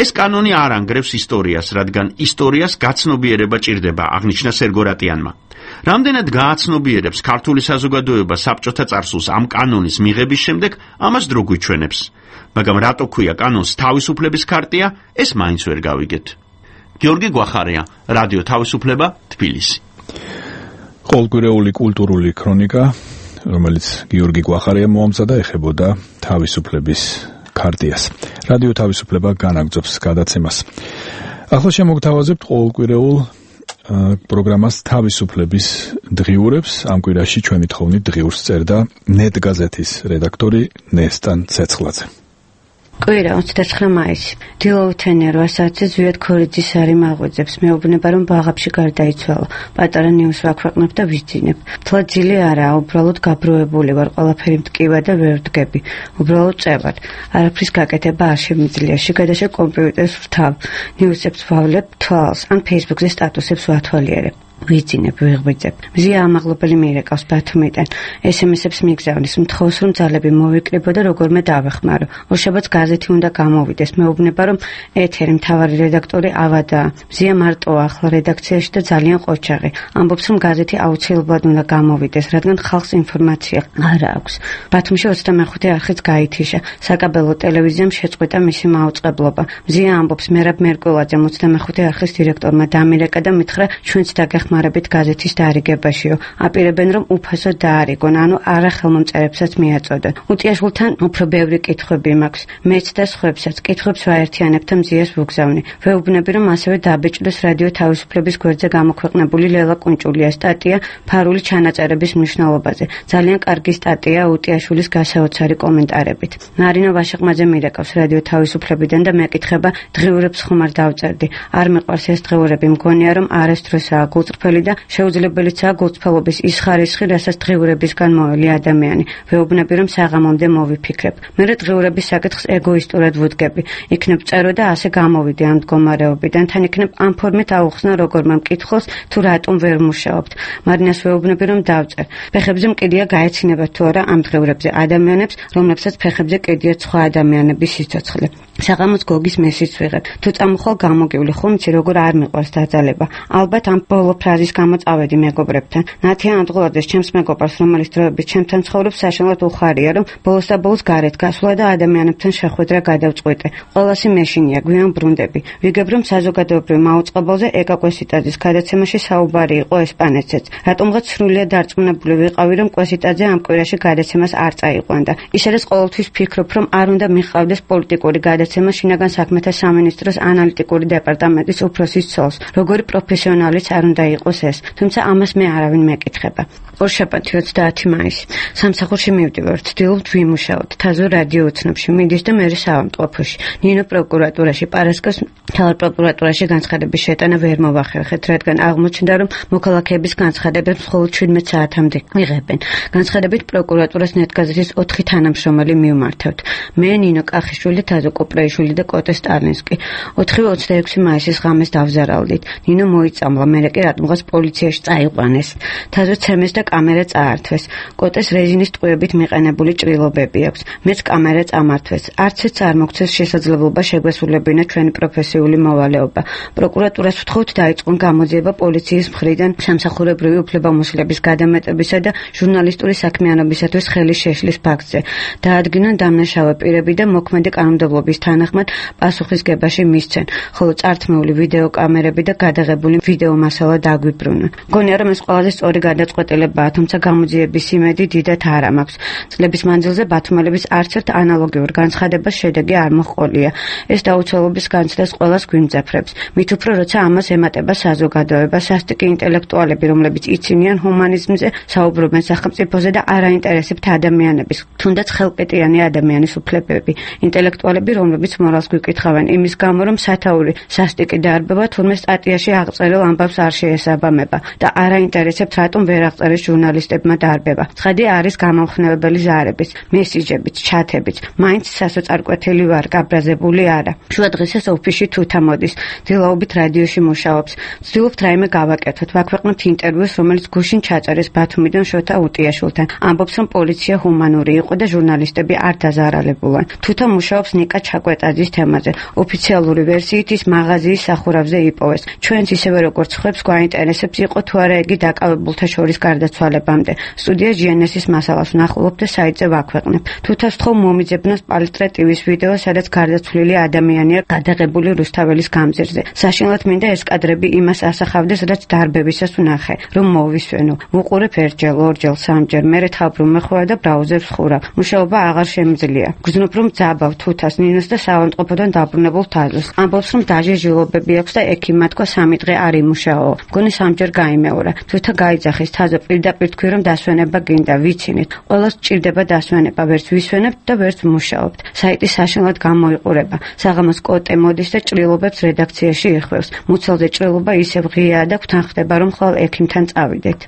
ეს კანონი არ ანგრევს ისტორიას, რადგან ისტორიას გაცნობიერება ჭირდება, აღნიშნა სერგო რატიანმა. რამდენად გააცნობიერებს ქართული საზოგადოება საბჭოთა წარსულს ამ კანონის მიღების შემდეგ, ამას დრო გვიჩვენებს. მაგრამ რატო ქვია კანონს თავისუფლების ქარტია, ეს მაინც ვერ გავიგეთ. გიორგი გვახარია, რადიო თავისუფლება, თბილისი. ყოველკვირეული კულტურული ქრონიკა, რომელიც გიორგი გვახარია მოამზადა, ეხებოდა თავისუფლების ქარტიას. რადიო თავისუფლება განაგრძობს გადაცემას. ახლა შემოგთავაზებთ ყოველკვირეულ პროგრამას თავისუფლების დღიურებს. ამ კვირაში ჩვენი თხოვნით დღიურს წერდა ნეტ გაზეთის რედაქტორი ნესტან ცეცხლაძე. კვირა ოცდათხრა მაისი. დილაუთენია რვა საათზე ზვიად ქორიძის არი მაღვიძებს. მეუბნება რომ ბაღებში გარდაიცვალა. პატარა ნიუს ვაქვეყნებ და ვისძინებ. თლა ძილი არაა, უბრალოდ გაბროებული ვარ, ყველაფერი მტკივა და ვერ ვდგები. უბრალოდ წევარ. არაფრის გაკეთება არ შემიძლია. შიგადაშე კომპიუტერს ვთავ. ნიუსებს ვავლებ თვალს, ან ფეისბუქზე სტატუსებს ვათვალიერებ. ვიძინებ, ვიღვიძებ. მზია ამაღლობელი მიირეკავს ბათუმიდან. ესემესებს მიგზავნის, მთხოვს რომ ძალები მოვიკრიბო და როგორმე დავეხმარო. ორშაბათს გაზეთი უნდა გამოვიდეს. მეუბნება რომ ეთერი მთავარი რედაქტორი ავადაა. მზია მარტოა ახლა რედაქციაში და ძალიან ყოჩაღი. ამბობს რომ გაზეთი აუცილებლად უნდა გამოვიდეს, რადგან ხალხს ინფორმაცია არ აქვს. ბათუმში ოცდამეხუთე არხიც გაითიშა. საკაბელო ტელევიზიამ შეწყვიტა მისი მაუწყებლობა. მზია ამბობს მერაბ მერკულაძე ოცდამეხუთე არხის დირექტორმა დამირეკა და მითხრა ჩვენც დაგეხმარებით მარებით გაზეთის დაარიგებაშიო. აპირებენ რომ უფასოდ დაარიგონ, ანუ არახელმომწერებსაც მიაწოდონ. უტიაშვილთან უფრო ბევრი კითხვები მაქვს. მეც და სხვებსაც კითხვებს ვაერთიანებ და მზიას ვუგზავნი. ვეუბნები რომ ასევე დაბეჭდეს რადიო თავისუფლების გვერდზე გამოქვეყნებული ლელა კუნჭულია სტატია ფარული ჩანაწერების მნიშვნელობაზე. ძალიან კარგი სტატია უტიაშვილის გასაოცარი კომენტარებით. ნარინო ვაშეყმაძე მირეკავს რადიო თავისუფლებიდან და მეკითხება დღიურებს ხომ არ დავწერდი. არ მიყვარს ეს დღიურები, მგონია რომ არასდროსაა გულწრფელი და შეუძლებელიცაა გულწრფელობის ის ხარისხი, რასაც დღიურებისგან მოელი ადამიანი. ვეუბნები რომ საღამომდე მოვიფიქრებ. მერე დღიურების საკითხს ეგოისტურად ვუდგები. იქნებ წერო და ასე გამოვიდე ამ მდგომარეობიდან, თან იქნებ ამ ფორმით აუხსნა როგორმე მკითხველს თუ რატომ ვერ მუშაობთ. მარინას ვეუბნები რომ დავწერ. ფეხებზე მკიდია გაეცინება თუ არა ამ დღიურებზე ადამიანებს, რომლებსაც ფეხებზე კიდიათ სხვა ადამიანების სიცოცხლე. საღამოს გოგის მესიც ვიღებ. თუ წამოხვალ გამოგივლი, ხომ იცი როგორ არ მიყვარს დაძალება. ალბათ ამ ბოლო ფრაზის გამო წავედი მეგობრებთან. ნათიან ანდღულაძეს ჩემს მეგობარს, რომელიც დროებით ჩემთან ცხოვრობს, საშინლად უხარია, რომ ბოლოს და ბოლოს გარეთ გასვლა და ადამიანებთან შეხვედრა გადავწყვიტე. ყველასი მეშინია, გვიან ბრუნდები. ვიგებ, რომ საზოგადოებრივ მაუწყებელზე ეკა კვესიტაძის გადაცემაში საუბარი იყო ესპანეთზეც. რატომღაც სრულიად დარწმუნებული ვიყავი, რომ კვესიტაძე ამ კვირაში გადაცემას არ წაიყვანდა. ისედაც ყოველთვის ვფიქრობ, რომ არ უნდა მიყავდეს პოლიტიკური გადაცემა შინაგან საქმეთა სამინისტროს ანალიტიკური დეპარტამენტის უფროსის ცოლს. როგორი პროფესიონალიც არ უნდა იყოს ეს, თუმცა ამას მე არავინ მეკითხება. ორშაბათი ოცდაათი მაისი. სამსახურში მივდივარ, ვცდილობ ვიმუშაოთ. თაზო რადიო ოცნებში მიდის და მერე საავადმყოფოში. ნინო პროკურატურაში, პარასკევს მთავარ პროკურატურაში განცხადების შეტანა ვერ მოვახერხეთ, რადგან აღმოჩნდა, რომ მოქალაქეების განცხადებებს მხოლოდ შვიდმეტ საათამდე იღებენ. განცხადებით პროკურატურას ნეტგაზეთის ოთხი თანამშრომელი მივმართავთ. მე, ნინო კახიშვილი, თაზო კოპრეიშვილი და კოტე სტალინსკი. ოთხივე ოცდაექვსი მაისის ღამეს დავზარალდით. ნინო მოიწამლა, მერე კი რატომღაც პოლიციაში წაიყვანეს. თაზო ცემეს და კამერა წაართვეს. კოტეს რეზინის ტყუებით მიყენებული ჭრილობები აქვს. მეც კამერა წამართვეს. არც ეს არ მოგცეს შესაძლებლობა შეგვესრულებინა ჩვენი პროფესიული მოვალეობა. პროკურატურას ვთხოვთ დაიწყონ გამოძიება პოლიციის მხრიდან სამსახურებრივი უფლებამოსილების გადამეტებისა და ჟურნალისტური საქმიანობისათვის ხელის შეშლის ფაქტზე. დაადგინონ დამნაშავე პირები და მოქმედი კანონმდებლობის თანახმად პასუხისგებაში მისცენ, ხოლო წართმეული ვიდეო კამერები და გადაღებული ვიდეო მასალა დაგვიბრუნონ. მგონია, რომ ეს ყველაზე სწორი გადაწყვეტილებაა, თუმცა გამოძიების იმედი დიდად არ მაქვს. წლების მანძილზე ბათუმელების არც ერთ ანალოგიურ განცხადებას შედეგი არ მოჰყოლია. ეს დაუცველობის განცდას ყველას გვიმძაფრებს. მით უფრო როცა ამას ემატება საზოგადოება, სასტიკი ინტელექტუალები, რომლებიც იცინიან ჰუმანიზმზე, საუბრობენ სახელმწიფოზე და არ აინტერესებთ ადამიანების, თუნდაც ხელყიტიანი ადამიანის უფლებები. ინტელექტუალები, რომლებიც მორალს გვიკითხავენ იმის გამო, რომ სათაური სასტიკი დარბება, თურმე სტატიაში აღწერილ ამბავს არ შეესაბამება და არ აინტერესებთ, რატომ ვერ აღწერეს ჟურნალისტებმა დარბება. ცხადი არის გამომხნევებელი ზარების, მესიჯებით, ჩათებით. მაინც სასოწარკვეთილი ვარ, გაბრაზებული არა. შუა დღესაც ოფისში თუთა მოდის, დილაობით რადიოში მუშაობს. ვცდილობთ რაიმე გავაკეთოთ, ვაქვეყნებთ ინტერვიუს, რომელიც გუშინ ჩაწერეს ბათუმიდან შოთა უტიაშვილთან. ამბობს, რომ პოლიცია ჰუმანური იყო და ჟურნალისტები არ დაზარალებულან. თუთა მუშაობს ნიკა ჩაკვეტაძის თემაზე. ოფიციალური ვერსიით ის მაღაზიის სახურავზე იპოვეს. ჩვენც ისევე როგორც ხვებს გვაინტერესებს იყო თუ არა იგი დაკავებულთა შორის გარდაცვალებამდე. სტუდია ჯი εν ეს-ის მასალას ვნახულობ და საიტზე ვაქვეყნებ. თუთას ვთხოვ მომიძებნოს პალტრე ტივის ვიდეო, სადაც გარდაცვლილი ადამიანია გადაღებული რუსთაველის გამზირზე. საშინლად მინდა ეს კადრები იმას ასახავდეს, რაც დარბებისას ვნახე, რომ მოვისვენო. ვუყურებ ერთჯერ, ორჯერ, სამჯერ, მერე თავბრუნ მეხვევა და ბრაუზერს ვხურავ. მუშაობა აღარ შემიძლია. გრძნობ, რომ ძაბავ თუთას, ნინოს და საავადმყოფოდან დაბრუნებულ თაზოს. ამბობს, რომ დაჟეჟილობები აქვს და ექიმმა თქვა სამი დღე არ იმუშაო. მგონი სამჯერ გაიმეორა. თუთა გაიძახის, თაზო პირდაპირ თქვი, რომ დასვენება გინდა, ვიცინით. ყველას ჭირდება დასვენება, ვერც ვისვენებთ და ვერც ვმუშაობთ. საიტი საშინლად გამოიყურება. საღამოს კოტე მოდის და ჭრილობებს რედაქციაში იხვევს. მუცელზე ჭრილობა ისევ ღიაა და გვთან ხდება, რომ ხვალ ექიმთან წავიდეთ.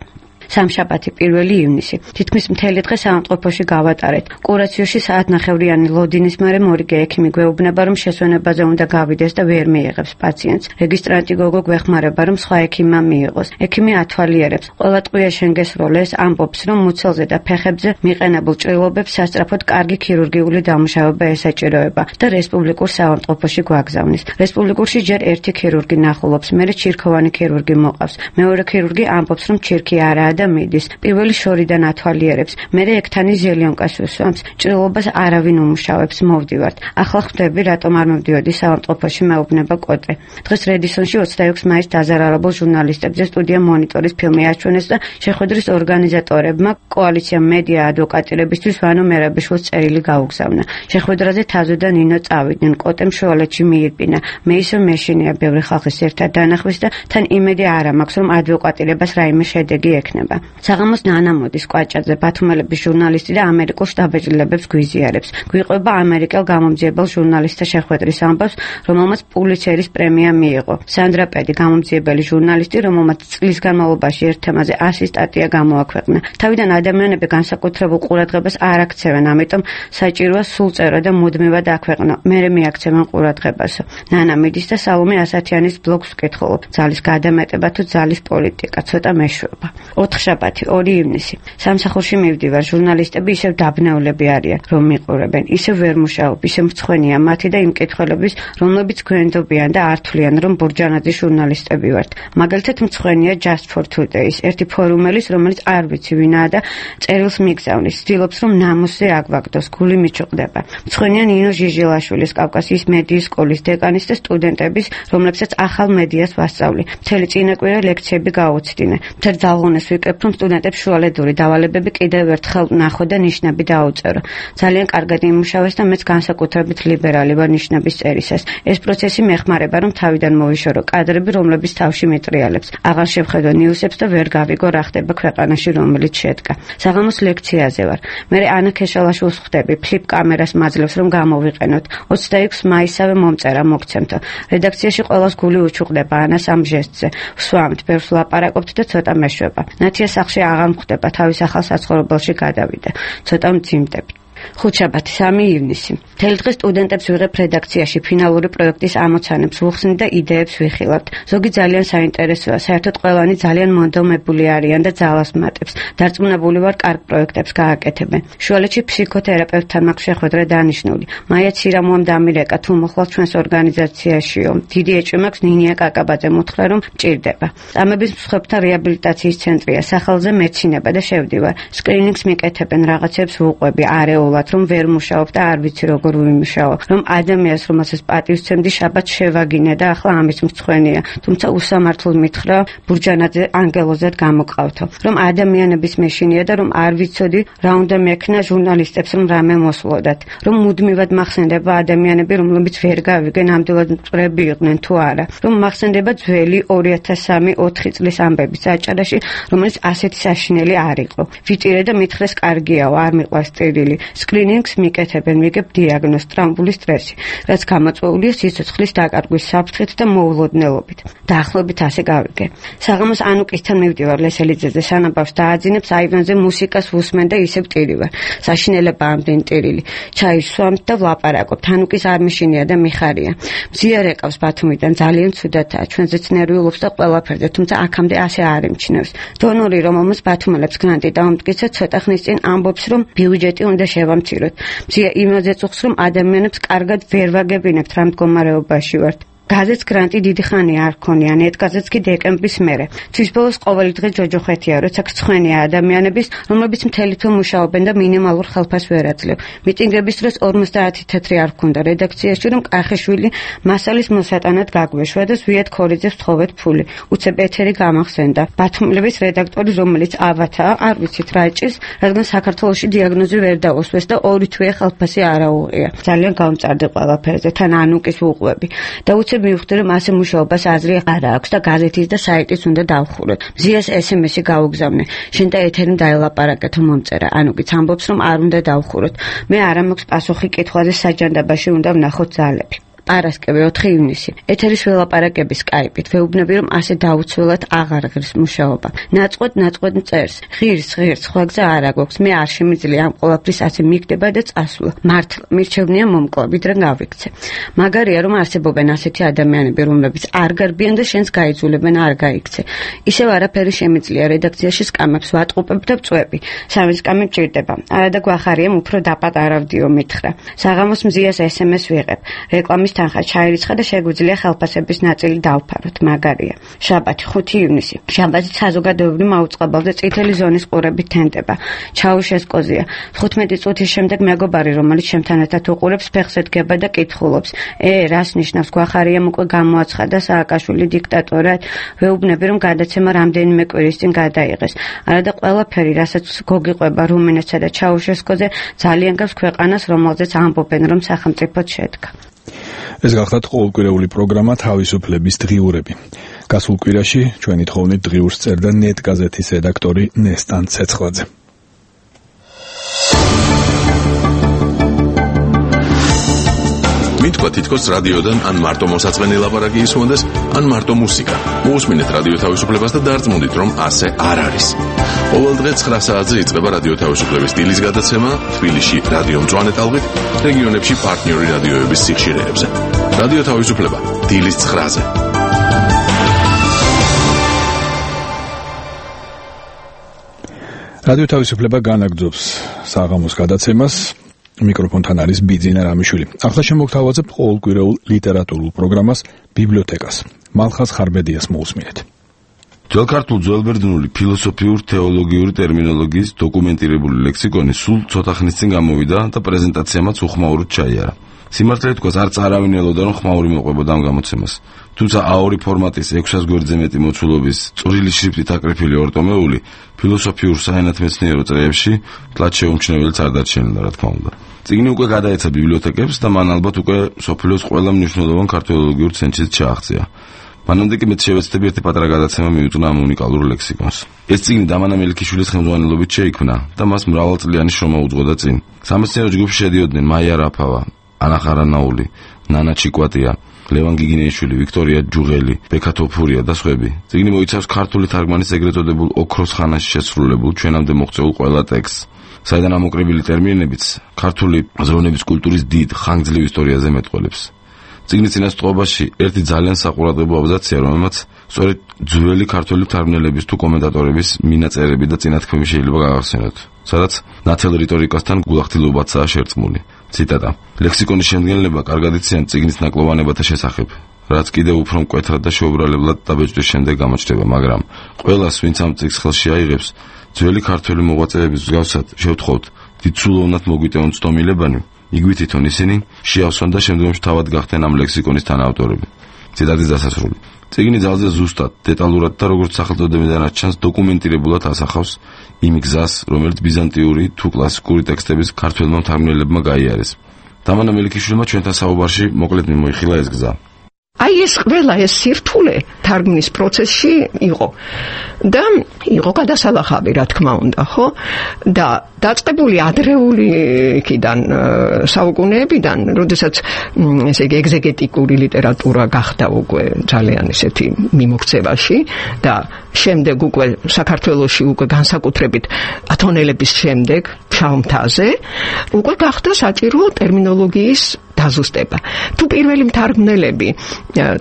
სამშაბათი პირველი ივნისი. თითქმის მთელი დღე საავადმყოფოში გავატარეთ. კურაციოში საათნახევრიანი ლოდინის მერე მორიგე ექიმი გვეუბნება, რომ შესვენებაზე უნდა გავიდეს და ვერ მიიღებს პაციენტს. რეგისტრანტი გოგო გვეხმარება, რომ სხვა ექიმმა მიიღოს. ექიმი ათვალიერებს. ყველა ტყვია შენ გესროლეს, ამბობს, რომ მუცელზე და ფეხებზე მიყენებულ ჭრილობებს სასწრაფოდ კარგი ქირურგიული დამუშავება ესაჭიროება და რესპუბლიკურ საავადმყოფოში გვაგზავნის. რესპუბლიკურში ჯერ ერთი ქირურგი ნახულობს, მერე ჩირქოვანი ქირურგი მოყავს. მეორე ქირურგი ამბობს, რომ ჩირქი არაა და მიდის. პირველი შორიდან ათვალიერებს, მერე ექთანი ზელიონკას უსვამს. ჭრილობას არავინ უმუშავებს, მოვდივართ. ახლა ხვდები, რატომ არ მოვდიოდი საავადმყოფოში, მეუბნება კოტე. დღეს რედისონში ოცდაექვსი მაისს დაზარალებულ ჟურნალისტებზე სტუდია მონიტორის ფილმი აჩვენეს და შეხვედრის ორგანიზატორებმა კოალიცია მედია ადვოკატირებისთვის ვანო მერაბიშვილს წერილი გაუგზავნა. შეხვედრაზე თაზო და ნინო წავიდნენ. კოტემ შუალედში მიირბინა. მე ისევ მეშინია ბევრი ხალხის ერთად დანახვის და თან იმედი არ მაქვს, რომ ადვოკატირებას რაიმე შედეგი ექნება. საღამოს ნანა მოდის კვაჭაძე, ბათუმელების ჟურნალისტი და ამერიკულ შტაბ-ეჭვლებებს გვიზიარებს. გვიყვება ამერიკელ გამომძიებელ ჟურნალისტთა შეხვედრის ამბავს, რომელმაც პულიცერის პრემია მიიღო. სანდრა პედი, გამომძიებელი ჟურნალისტი, რომელმაც წლის განმავლობაში ერთ თემაზე ასი სტატია გამოაქვეყნა. თავიდან ადამიანები განსაკუთრებულ ყურადღებას არ აქცევენ, ამიტომ საჭიროა სულ წერა და მუდმივად აქვეყნო. მერე მიაქცევენ ყურადღებას. ნანა მიდის და სალომე ასათიანის ბლოგს ვკითხულობ. ძალის გადამეტება თუ ძალის პოლიტიკა, ცოტა მეშვეობა. ოთხშაბათი, ორი ივნისი. სამსახურში მივდივარ, ჟურნალისტები ისევ დაბნეულები არიან, რომ მიყურებენ. ისევ ვერ მუშაობ, ისევ მრცხვენია მათი და იმ კითხველების, რომლებიც გვენდობიან და არ თვლიან, რომ ბურჯანაძის ჟურნალისტები ვართ. მაგალითად მრცხვენია Just for Today-ის, ერთი ფორუმელის, რომელიც არ ვიცი ვინაა და წერილს მიგზავნის, ცდილობს რომ ნამოსზე აგვაგდოს, გული მიჭუყდება. მრცხვენია ნინო ჟიჟილაშვილის, კავკასიის მედიის სკოლის დეკანის და სტუდენტების, რომლებსაც ახალ მედიას ვასწავლი. მთელი წინაკვირა ლექციები გაუცდინე. მთელ დაღონეს ვიკრებ, რომ სტუდენტებს შუალედური დავალებები კიდევ ერთხელ ნახო და ნიშნები დაუწერო. ძალიან კარგად იმუშავეს და მეც განსაკუთრებით ლიბერალი ვარ ნიშნების წერისას. ეს პროცესი მეხმარება, რომ თავიდან მოვიშორო კადრები, რომლებიც თავში მეტრიალებს. აღარ შევხედო ნიუსებს და ვერ გავიგო რა ხდება ქვეყანაში, რომელიც შედგა. საღამოს ლექციაზე ვარ. მე ანა ქეშალაშვილს ხვდები, ფლიპ კამერას მაძლევს, რომ გამოვიყენოთ. ოცდაექვსი მაისსავე მომწერა მოგცემთო. რედაქციაში ყველას გული უჩუყდება ანას ამ ჟესტზე. ვსვამთ, ბევრს ვლაპარაკობთ და ცოტა მეშვება. ნათია სახლში აღარ მხვდება, თავის ახალ საცხოვრებელში გადავიდა. ცოტა მძიმდები. ხუთშაბათი, სამი ივნისი. მთელი დღე სტუდენტებს ვიღებ რედაქციაში, ფინალური პროექტის ამოცანებს ვუხსნით და იდეებს ვიხილავთ. ზოგი ძალიან საინტერესოა, საერთოდ ყველანი ძალიან მონდომებული არიან და ძალას მატებს. დარწმუნებული ვარ, კარგ პროექტებს გააკეთებენ. შუალედში ფსიქოთერაპევტთან მაქვს შეხვედრა დანიშნული. მაია ცირამუამ დამირეკა, თუ მოხვალ ჩვენს ორგანიზაციაშიო. დიდი ეჭვი მაქვს ნინია კაკაბაძე მოთხრა, რომ მჭირდება. წამების მსხვერპლთა რეაბილიტაციის ცენტრია, სახელზე მეცინება და შევდივარ. სკრინინგს მიკეთებენ, რაღაცებს ვუყვები, არეულ რომ ვერ მუშაობ და არ ვიცი როგორ ვიმუშაო, რომ ადამიანს რომელსაც პატივს ვცემდი შაბათს შევაგინე და ახლა ამის მრცხვენია, თუმცა უსამართლოდ მითხრა ბურჯანაძე ანგელოზად გამოყავთო, რომ ადამიანების მეშინია და რომ არ ვიცოდი რა უნდა მექნა ჟურნალისტებს რომ რამე მოსვლოდათ, რომ მუდმივად მახსენდება ადამიანები რომლებიც ვერ გავიგენ ამდენად მწვრები იყვნენ თუ არა, რომ მახსენდება ძველი ორი ათას სამი ოთხი წლის ამბები საჭარაში, რომელიც ასეთი საშინელი არ იყო. ვიტირე და მითხრეს კარგიაო, არ მიყვარს წერილი. სკრინინგს მიკეთებენ, მიგებ დიაგნოზ ტრამბული სტრესი, რაც გამოწვეულია სიცოცხლის დაკარგვის საფრთხით და მოულოდნელობით. დაახლოებით ასე გავიგე. საღამოს ანუკისთან მივდივარ ლესელიძეზე, სანაბავს დააძინებს აივანზე მუსიკას ვუსმენ და ისევ ტირივარ. საშინელება ამდენ ტირილი. ჩაის ვსვამთ და ვლაპარაკობთ. ანუკის არ მიშინია და მიხარია. მზიარ ეკავს ბათუმიდან, ძალიან ცუდათაა, ჩვენზეც ნერვიულობს და ყველაფერზე, თუმცა აქამდე ასე არ ემჩნევს. დონორი, რომელმაც ბათუმელებს გრანტი დაუმტკიცა, ცოტა ხნის წინ ამბობს, რომ ბიუჯეტი უნდა შევამციროთ. მზია იმაზე წუხს, რომ ადამიანებს კარგად ვერ ვაგებინებთ რა მდგომარეობაში ვართ. გაზეთს გრანტი დიდი ხანი არ ქონია, ნეტგაზეთს კი დეკემბრის მერე. თვის ბოლოს ყოველი დღე ჯოჯოხეთია, როცა გრცხვენია ადამიანების, რომლებიც მთელი თვე მუშაობენ და მინიმალურ ხელფას ვერ აძლევ. მიტინგების დროს ორმოცდაათი თეთრი არ ქონდა რედაქციაში, რომ კახეშვილი მასალის მოსატანად გაგვეშვა და ზვიად ქორიძეს ვთხოვეთ ფული. უცებ ეთერი გამახსენდა. ბათუმელების რედაქტორი, რომელიც ავათაა, არ ვიცით რა ჭირს, რადგან საქართველოში დიაგნოზი ვერ დაუსვეს და ორი თვე ხელფასი არ აუღია. ძალიან გამწარდი ყველაფერზე, თან ანუკის უყვები. და უცებ მივხვდი რომ ასე მუშაობას აზრი არ აქვს და გაზეთის და საიტის უნდა დავხუროთ. მზიას ესემესი გაუგზავნე. შენ და ეთერი დაელაპარაკეთო მომწერა. ანუკიც ამბობს რომ არ უნდა დავხუროთ. მე არ მაქვს პასუხი კითხვაზე საჯანდაბაში უნდა ვნახოთ ძალები. პარასკევი ოთხი ივნისი. ეთერის ველაპარაკების სკაიპით ვეუბნები რომ ასე დაუცველად აღარ ღირს მუშაობა. ნაწყვეტ ნაწყვეტ წერს. ღირს ღირს სხვა გზა არ აქვს. მე არ შემიძლია ამ ყველაფრის ასე მიგდება და წასვლა. მართლა მირჩევნია მომკლა, ვიდრე გავიქცე. მაგარია რომ არსებობენ ასეთი ადამიანები, რომლებიც არ გარბიან და შენს გაიძულებენ არ გაიქცე. ისევ არაფერი შემიძლია რედაქციაში სკამებს ვატყუპებ და ვწვევი. სამი სკამი მჭირდება. არადა გვახარიამ უფრო დაპატარავდიო მითხრა. საღამოს მზიას ესემეს ვიღებ. რეკლამის თანხა ჩაირიცხა და შეგვიძლია ხელფასების ნაწილი დავფაროთ, მაგარია. შაბათი ხუთი ივნისი. შაბათი საზოგადოებრივ მაუწყებელზე წითელი ზონის ყურებით თენდება. ჩაუშესკოზია. თხუთმეტი წუთის შემდეგ მეგობარი, რომელიც შემთან ერთად უყურებს, ფეხზე დგება და კითხულობს. ე, რას ნიშნავს გვახარიამ უკვე გამოაცხადა სააკაშვილი დიქტატორად? ვეუბნები რომ გადაცემა რამდენიმე კვირის წინ გადაიღეს. არადა ყველაფერი, რასაც გოგიყვება რუმინეთსა და ჩაუშესკოზე, ძალიან გავს ქვეყანას, რომელზეც ამბობენ რომ სახელმწიფოდ შედგა. ეს გახლავთ ყოველკვირეული პროგრამა თავისუფლების დღიურები. გასულ კვირაში ჩვენი თხოვნით დღიურს წერდა ნეტგაზეთის რედაქტორი ნესტან ცეცხლაძე. მითქვა თითქოს რადიოდან ან მარტო მოსაწყენი ლაპარაკი ისმოდეს, ან მარტო მუსიკა. მოусმინეთ რადიო თავისუფლებას და დარწმუნდით, რომ ასე არ არის. ყოველ დღე ცხრა საათზე იწყება რადიო თავისუფლების სტილის გადაცემა თბილისში რადიო მწვანე ტალღით, რეგიონებში პარტნიორი რადიოების სიხშირეებზე. რადიო თავისუფლება დილის ცხრაზე. რადიო თავისუფლება განაგრძობს საღამოს გადაცემას. მიკროფონთან არის ბიძინა რამიშვილი. ახლა შემოგთავაზებ ყოველკვირეულ ლიტერატურულ პროგრამას ბიბლიოთეკას. მალხაზ ხარბედიას მოусმინეთ. ძველ ქართულ ძველბერძნული ფილოსოფიურ-თეოლოგიური ტერმინოლოგიის დოკუმენტირებული ლექსიკონი სულ ცოტა ხნის წინ გამოვიდა და პრეზენტაციამაც უხმაუროდ ჩაიარა. სიმართლე თქვას, არც არავინ ელოდა, რომ ხმაური მოყვებოდა ამ გამოცემას. თუმცა აორი ფორმატის ექვსას გვერდზე მეტი მოცულობის წვრილი შრიფტით აკრეფილი ორტომეული ფილოსოფიურ საენათმეცნიერო წრეებში თლად შეუმჩნეველიც არ დარჩენილა, რა თქმა უნდა. წიგნი უკვე გადაეცა ბიბლიოთეკებს და მან ალბათ უკვე სოფლიოს ყველა მნიშვნელოვან ქართველოლოგიურ ცენტრშიც ჩააღწია. მანამდე კი მეც შევეცდები ერთი პატარა გადაცემა მიუძღვნა ამ უნიკალურ ლექსიკონს. ეს წიგნი დამანა მელიქიშვილის ხელმძღვანელობით შეიქმნა და მას მრავალწლიანი შრომა უძღვოდა წინ. სამეცნიერო ჯგუფში შედიოდნენ მაია რაფავა, ანა ხარანაული, ნანა ჩიკვატია, ლევან გიგინეიშვილი, ვიქტორია ჯუღელი, ბექა თოფურია და სხვები. წიგნი მოიცავს ქართული თარგმანის ეგრეთ წოდებულ ოქროს ხანაში შესრულებულ ჩვენამდე მოღწეულ ყველა ტექსტს, საიდან ამოკრებილი ტერმინებიც ქართული აზროვნების კულტურის დიდ ხანგრძლივ ისტორიაზე მეტყველებს. წიგნის წინასწრობაში ერთი ძალიან საყურადღებო აბზაცია, რომელმაც სწორედ ძველი ქართული თარგმნელების თუ კომენტატორების მინაწერები და წინათქმები შეიძლება გავახსენოთ, სადაც ნათელ რიტორიკასთან გულახდილობაცაა შერწყმული. ციტატა: ლექსიკონის შემდგენლება კარგად იციან წიგნის ნაკლოვანებათა შესახებ, რაც კიდევ უფრო მკვეთრად და შეუბრალებლად დაბეჭდის შემდეგ გამოჩნდება, მაგრამ ყველას, ვინც ამ წიგნს ხელში აიღებს, ძველი ქართული მოღვაწეების მსგავსად შევთხოვთ დიდსულოვნად მოგვიტევონ ცდომილებანი, იგივე თვითონ ისინი შეავსონ და შემდგომში თავად გახდნენ ამ ლექსიკონის თანაავტორები. ციტატის დასასრული. წიგნი ძალზე ზუსტად, დეტალურად და როგორც სახელწოდებიდანაც ჩანს, დოკუმენტირებულად ასახავს იმ გზას, რომელიც ბიზანტიური თუ კლასიკური ტექსტების ქართველმა მთარგმნელებმა გაიარეს. დამანა მელიქიშვილმა ჩვენთან საუბარში მოკლედ მიმოიხილა ეს გზა. აი ეს ყველა ეს სირთულე თარგმნის პროცესში იყო და იყო გადასალახავი, რა თქმა უნდა, ხო? და დაწყებული ადრეული იქიდან საუკუნეებიდან, როდესაც ესე იგი ეგზეგეტიკური ლიტერატურა გახდა უკვე ძალიან ესეთი მიმოქცევაში და შემდეგ უკვე საქართველოში უკვე განსაკუთრებით ათონელების შემდეგ ფშავ-მთაზე უკვე გახდა საჭირო ტერმინოლოგიის დაზუსტება. თუ პირველი მთარგმნელები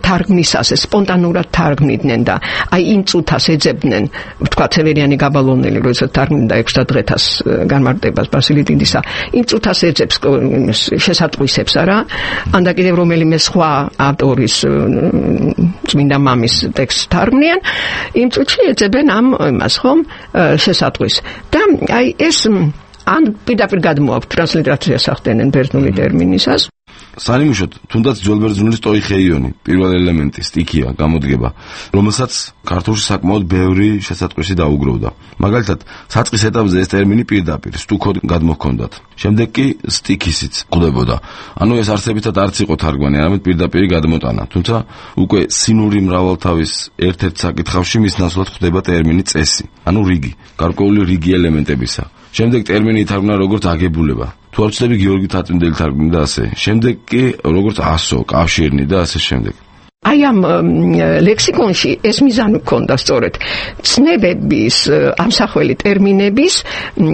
თარგმნისას სპონტანურად თარგმნიდნენ და აი იმ წუთას ეძებდნენ, თქვა ცევერიანი გაბალონელი, როდესაც თარგმნიდა ექვსდაათ დღეთას განმარტებას ბასილი დიდისა, იმ წუთას ეძებს შესატყვისებს არა, ან და კიდევ რომელიმე სხვა ავტორის წმინდა მამის ტექსტს თარგმნიან, იმ წუთში ეძებენ ამ იმას, ხომ, შესატყვის. და აი ეს ან პირდაპირ გადმოაქვთ ტრანსლიტერაციას ახდენენ ბერძნული ტერმინისას. სანიმუშოდ, თუნდაც ძველბერძნული სტოიხეიონი, პირველი ელემენტი, სტიქია, გამოდგება, რომელსაც ქართულში საკმაოდ ბევრი შესატყვისი დაუგროვდა. მაგალითად, საწყის ეტაპზე ეს ტერმინი პირდაპირ სტუქოდ გადმოჰქონდათ. შემდეგ კი სტიქისიც ყდებოდა. ანუ ეს არსებითად არც იყო თარგმანი, არამედ პირდაპირი გადმოტანა. თუმცა უკვე სინური მრავალთავის ერთ-ერთ საკითხავში მის ნაცვლად ხდება ტერმინი წესი, ანუ რიგი, გარკვეული რიგი ელემენტებისა. შემდეგ ტერმინი ითარგმნა როგორც აგებულება. თუ არ ვცდები, გიორგი თაწმინდელი თარგმნიდა ასე. შემდეგ კი როგორც ასო, კავშირნი და ასე შემდეგ. აი ამ ლექსიკონში ეს მიზანი ჰქონდა სწორედ ცნებების, ამსახველი ტერმინების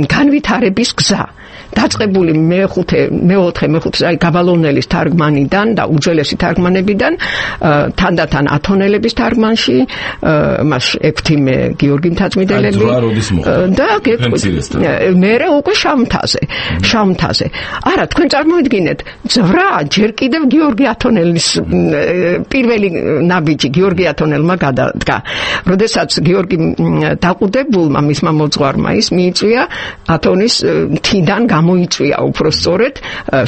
განვითარების გზა. დაწყებული მეხუთე, მეოთხე, მეხუთე აი გაბალონელის თარგმანიდან და უძველესი თარგმანებიდან, თანდათან ათონელების თარგმანში, მას ექვთიმე გიორგი მთაწმიდელები და მერე უკვე შავ-მთაზე, შავ-მთაზე. არა, თქვენ წარმოიდგინეთ, ძვრა ჯერ კიდევ გიორგი ათონელის პირველი ნაბიჯი გიორგი ათონელმა გადადგა. როდესაც გიორგი დაყუდებულმა მისმა მოძღვარმა ის მიიწვია ათონის მთიდან გამოიწვია უფრო სწორედ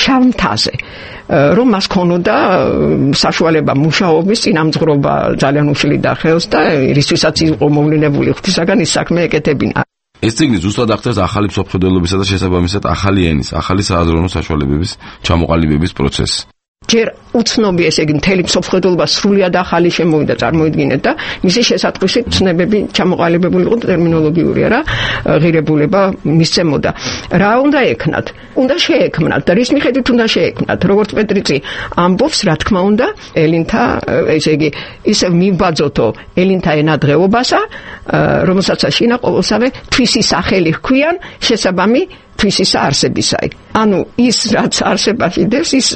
შავ-მთაზე, რომ მას ქონოდა საშუალება მუშაობის, წინამძღვრობა ძალიან უშლიდა ხელს და რისთვისაც იყო მოვლენებული ღვთისაგან ის საქმე ეკეთებინა. ეს წიგნი ზუსტად ახდენს ახალი მსოფლმხედველობისა და შესაბამისად ახალი ენის, ახალი სააზროვნო საშუალებების ჩამოყალიბების პროცესს. ჯერ უცნობი, ესე იგი მთელი მსოფლმხედველობა სრულიად ახალი შემოვიდა, წარმოიდგინეთ და მისი შესატყვისი ცნებები ჩამოყალიბებული იყო ტერმინოლოგიური არა ღირებულება მისცემოდა. რა უნდა ექნათ? უნდა შეექმნათ და რის მიხედვით უნდა შეექმნათ? როგორც პეტრიცი ამბობს, რა თქმა უნდა, ელინთა, ესე იგი ისე მივბაძოთო ელინთა ენადღეობასა, რომელსაც აშინა ყოველსავე თვისი სახელი ჰქვიან შესაბამი თვისის არსებისაი. ანუ ის რაც არსებაში დევს, ის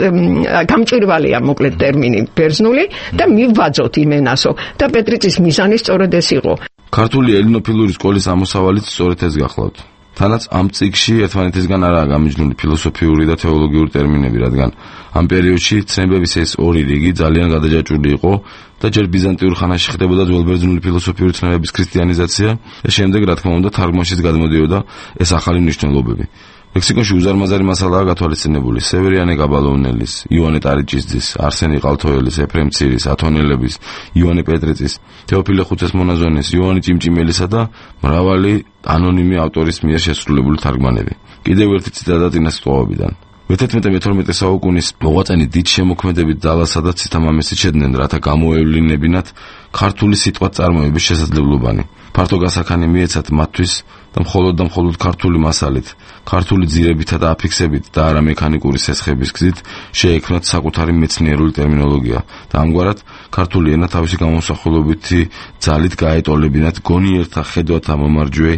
გამჭვირვალეა მოკლედ ტერმინი ბერძნული და მივბაძოთ იმენასო და პეტრიცის მიზანი სწორედ ეს იყო. ქართული ელინოფილური სკოლის ამოსავალიც სწორედ ეს გახლავთ. თანაც ამ წიგნში ერთმანეთისგან არაა გამიჯნული ფილოსოფიური და თეოლოგიური ტერმინები, რადგან ამ პერიოდში ცნებების ეს ორი რიგი ძალიან გადაჯაჭვული იყო და ჯერ ბიზანტიურ ხანაში ხდებოდა ძველბერძნული ფილოსოფიური ცნებების ქრისტიანიზაცია და შემდეგ, რა თქმა უნდა, თარგმანშიც გადმოდიოდა ეს ახალი მნიშვნელობები. ლექსიკონში უზარმაზარი მასალაა გათვალისწინებული სევერიანე კაბალოვნელის, იოანე ტარიჭისძის, არსენი ყალთოელის, ეფრემ ცირის, ათონელების, იოანე პეტრიწის, თეოფილე ხუცესმონაზონის, იოანე ჭიმჭიმელისა და მრავალი ანონიმი ავტორის მიერ შესრულებული თარგმანები. კიდევ ერთი ციტატა წინას სიტყვაობიდან. მეთერთმეტე-მეთორმეტე საუკუნის მოღვაწენი დიდ შემოქმედებით ძალასა და ცითამამესით შედნენ, რათა გამოევლინებინათ ქართული სიტყვა წარმოების შესაძლებლობანი. ფართო გასახანი მიეცათ მათთვის და მხოლოდ და მხოლოდ ქართული მასალით, ქართული ძირებითა და აფიქსებით და არა მექანიკური სესხების გზით შეექმნათ საკუთარი მეცნიერული ტერმინოლოგია და ამგვარად ქართული ენა თავისი გამოსახულობითი ძალით გაეტოლებინათ გონიერთა ხედვათა მომარჯვე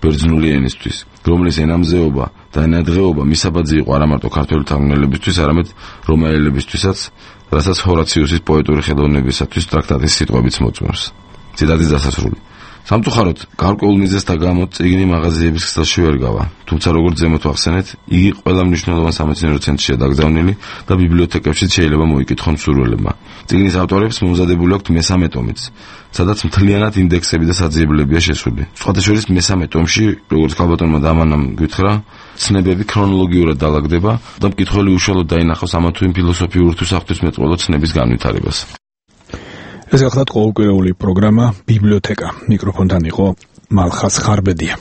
ბერძნული ენისთვის, რომლის ენამზეობა და ენადღეობა მისაბაძი იყო არა მარტო ქართველი თარგმნელებისთვის, არამედ რომაელებისთვისაც, რასაც ჰორაციუსის პოეტური ხელოვნებისათვის ტრაქტატის სიტყვებიც მოწმობს. ციტატის დასასრული. სამწუხაროდ, გარკვეულ მიზეზთა გამო წიგნი მაღაზიების ქსელში ვერ გავა, თუმცა როგორც ზემოთ ვახსენეთ, იგი ყველა მნიშვნელოვან სამეცნიერო ცენტრშია დაკრძალული და ბიბლიოთეკებშიც შეიძლება მოიკითხონ მსურველებმა. წიგნის ავტორებს მომზადებული აქვთ მესამე ტომიც, სადაც მთლიანად ინდექსები და საძიებლებია შესული. სხვათა შორის მესამე ტომში, როგორც ქალბატონმა დამანამ გითხრა, ცნებები ქრონოლოგიურად დაალაგდება და მკითხველი უშუალოდ დაინახავს ამა თუ იმ ფილოსოფიურ თუ საღვთისმეტყველო ცნების განვითარებას. ეს გახლავთ ყოველკვირეული პროგრამა ბიბლიოთეკა. მიკროფონთან იყო მალხას ხარბედია.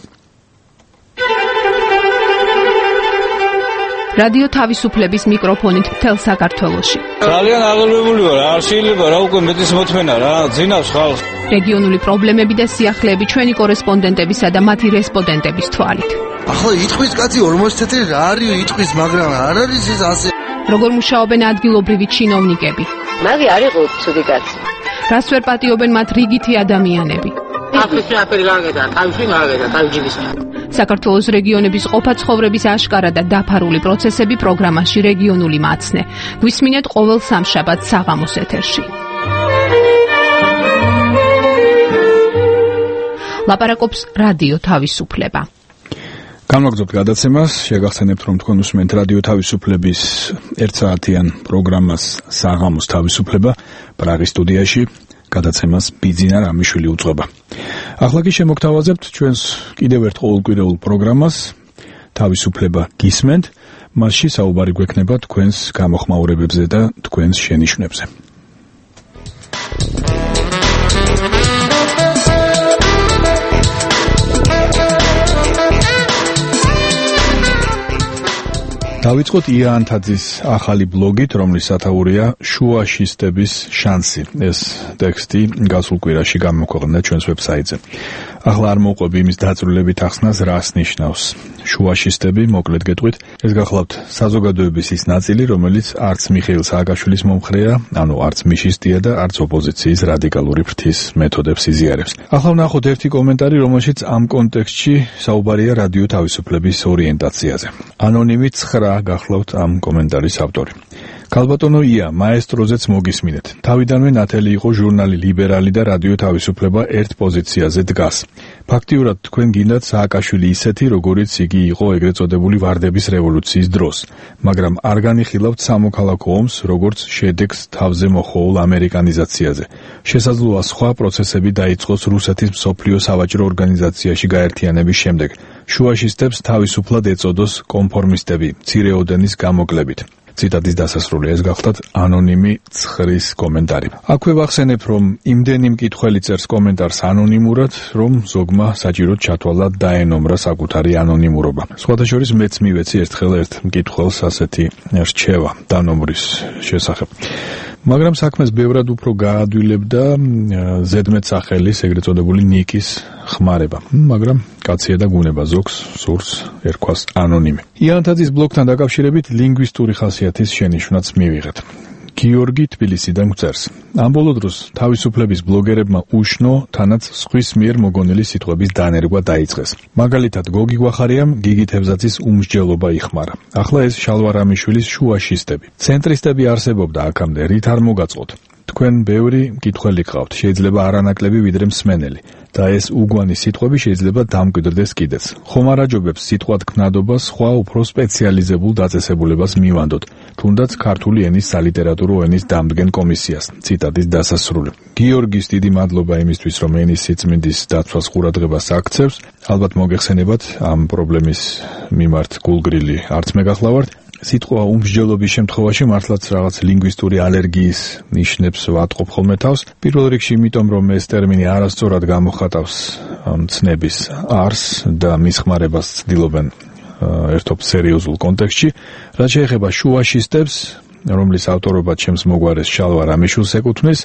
რადიო თავისუფლების მიკროფონით მთელ საქართველოში. ძალიან აღელვებული ვარ, არ შეიძლება რა უკვე მეტის მოთმენა რა, ძინავს ხალხს. რეგიონული პრობლემები და სიახლეები ჩვენი კორესპონდენტებისა და მათი რესპონდენტების თვალით. ახლა იტყვის კაცი ორმოცი თეთრი რა არის იტყვის, მაგრამ არ არის ეს ასე. როგორ მუშაობენ ადგილობრივი ჩინოვნიკები? მაგი არ იყო ცუდი კაცი. რას ვერ პატიობენ მათ რიგითი ადამიანები? აფრიკა აფერი გაგედა, თავში გაგედა, თავჯიბის. საქართველოს რეგიონების ყოფა ცხოვრების აშკარა და დაფარული პროცესები პროგრამაში რეგიონული მაცნე. გვისმინეთ ყოველ სამშაბათს საღამოს ეთერში. ლაპარაკობს რადიო თავისუფლება. გამოგზავნებთ გადაცემას, შეგახსენებთ რომ თქვენ უსმენთ რადიო თავისუფლების ერთსაათიან პროგრამას საღამოს თავისუფლება პრაღის სტუდიაში. გადაცემას ბიძინა რამიშვილი უძღვება. ახლა კი შემოგთავაზებთ ჩვენს კიდევ ერთ ყოველკვირეულ პროგრამას თავისუფლება გისმენთ, მასში საუბარი გვექნება თქვენს გამოხმაურებებზე და თქვენს შენიშვნებზე. დავიწყოთ ია ანთაძის ახალი ბლოგით, რომლის სათაურია შუაშისტების შანსი. ეს ტექსტი გასულ კვირაში გამოქვეყნდა ჩვენს ვებსაიტზე. ახლა არ მოვყვები იმის დაწვრილებით ახსნას, რას ნიშნავს შუაშისტები, მოკლედ გეტყვით, ეს გახლავთ საზოგადოების ის ნაწილი, რომელიც არც მიხეილ სააკაშვილის მომხრეა, ანუ არც მიშისტია და არც ოპოზიციის რადიკალური ფრთის მეთოდებს იზიარებს. ახლა ვნახოთ ერთი კომენტარი, რომელშიც ამ კონტექსტში საუბარია რადიო თავისუფლების ორიენტაციაზე. ანონიმი ცხრა გახლავთ ამ კომენტარის ავტორი. ქალბატონო ია, მაესტროზეც მოგისმინეთ. თავიდანვე ნათელი იყო ჟურნალი ლიბერალი და რადიო თავისუფლება ერთ პოზიციაზე დგას. ფაქტიურად თქვენ გინდათ სააკაშვილი ისეთი, როგორიც იგი იყო ეგრეთ წოდებული ვარდების რევოლუციის დროს, მაგრამ არ განიხილავთ სამოქალაქო ომს, როგორც შედეგს თავზე მოხოვულ ამერიკანიზაციაზე. შესაძლოა სხვა პროცესები დაიწყოს რუსეთის მსოფლიო სავაჭრო ორგანიზაციაში გაერთიანების შემდეგ. შუაშისტებს თავისუფლად ეწოდოს კონფორმისტები, მცირეოდენის გამოკლებით. ციტატის დასასრული ეს გახლავთ ანონიმი ცხვრის კომენტარი. აქვე ვახსენებ, რომ იმდენი მკითხველი წერს კომენტარს ანონიმურად, რომ ზოგმა საჭიროდ ჩათვალა დაენომრა საკუთარი ანონიმურობა. სხვათა შორის მეც მივეცი ერთხელ ერთ მკითხველს ასეთი რჩევა დანომრის შესახებ. მაგრამ საქმეს ბევრად უფრო გაადვილებდა ზედმეტსახელის, ეგრეთ წოდებული ნიკის ხმარება. მაგრამ კაცია და გუნება ზოგს სურს ერქვას ანონიმი. იანთაძის ბლოგთან დაკავშირებით ლინგვისტური ხასიათის შენიშვნაც მივიღეთ. გიორგი თბილისიდან გვწერს. ამ ბოლო დროს თავისუფლების ბლოგერებმა უშნო, თანაც სხვის მიერ მოგონილი სიტყვების დანერგვა დაიწყეს. მაგალითად, გოგი გვახარიამ გიგი თევზაძის უმსჯელობა იხმარა. ახლა ეს შალვა რამიშვილის შუაშისტები. ცენტრისტები არსებობდა აქამდე, რით არ მოგაწყოთ. თქვენ ბევრი კითხველი გყავთ, შეიძლება არანაკლები ვიდრე მსმენელი და ეს უგვანი სიტყვები შეიძლება დამკვიდრდეს კიდეც. ხომ არ აჯობებს სიტყვა თქმნადობა სხვა უფრო სპეციალიზებულ დაწესებულებას მივანდოთ, თუნდაც ქართული ენის სალიტერატურო ენის დამდგენ კომისიას. ციტატის დასასრული. გიორგის დიდი მადლობა იმისთვის, რომ ენის სიწმინდის დაცვას ყურადღებას აქცევს. ალბათ მოგეხსენებათ ამ პრობლემის მიმართ გულგრილი არც მე გახლავართ. სიტყვა უმსჯელობის შემთხვევაში მართლაც რაღაც ლინგვისტური ალერგიის ნიშნებს ვატყობ ხოლმე თავს. პირველ რიგში იმიტომ, რომ ეს ტერმინი არასწორად გამოხატავს ცნების არსს და მის ხმარებას ცდილობენ ერთობ სერიოზულ კონტექსტში. რაც შეეხება შუაშისტებს, რომლის ავტორობა ჩემს მოგვარეს შალვა რამიშვილს ეკუთვნის,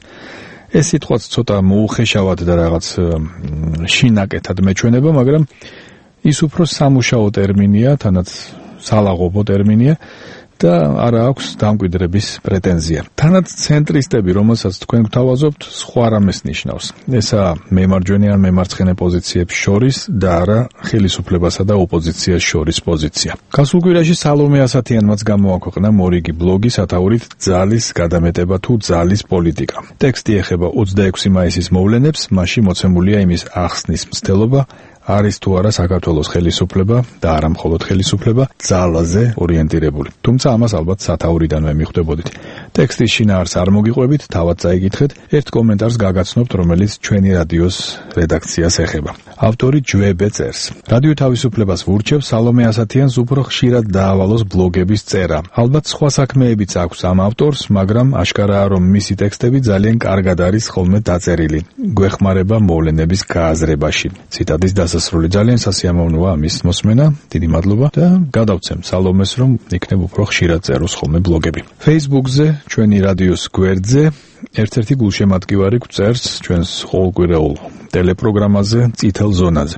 ეს სიტყვაც ცოტა მოუხეშავად და რაღაც შინაკეთად მეჩვენება, მაგრამ ის უფრო სამუშაო ტერმინია, თანაც სალაღობო ტერმინია და არა აქვს დამკვიდრების პრეტენზია. თანაც ცენტრისტები, რომელსაც თქვენ გთავაზობთ, სხვა რამეს ნიშნავს. ესაა მემარჯვენე ან მემარცხენე პოზიციებს შორის და არა ხელისუფლებასა და ოპოზიციას შორის პოზიცია. გასულ კვირაში სალომე ასათიანმაც გამოაქვეყნა მორიგი ბლოგი სათაურით ძალის გადამეტება თუ ძალის პოლიტიკა. ტექსტი ეხება ოცდაექვსი მაისის მოვლენებს, მასში მოცემულია იმის ახსნის მცდელობა, არის თუ არა საქართველოს ხელისუფლება და არა მხოლოდ ხელისუფლება ძალაზე ორიენტირებული. თუმცა ამას ალბათ სათაურიდანვე მიხვდებოდით. ტექსტის შინაარსს არ მოგიყვებით, თავად წაიკითხეთ, ერთ კომენტარს გაგაცნობთ, რომელიც ჩვენი რადიოს რედაქციას ეხება. ავტორი ჯვებე წერს. რადიო თავისუფლებას ვურჩევ სალომე ასათიანს უფრო ხშირად დაავალოს ბლოგების წერა. ალბათ სხვა საქმეებიც აქვს ამ ავტორს, მაგრამ აშკარაა, რომ მისი ტექსტები ძალიან კარგად არის ხოლმე დაწერილი. გვეხმარება მოვლენების გააზრებაში. ციტატის დასასრული. ძალიან სასიამოვნოა ამის მოსმენა. დიდი მადლობა და გადავცემ სალომეს, რომ იქნებ უფრო ხშირად წეროს ხოლმე ბლოგები. Facebook-ზე, ჩვენი რადიოს გვერდზე ერთ-ერთი გულშემატკივარი გვწერს ჩვენს ყოველკვირეულ ტელეპროგრამაზე წითელ ზონაზე.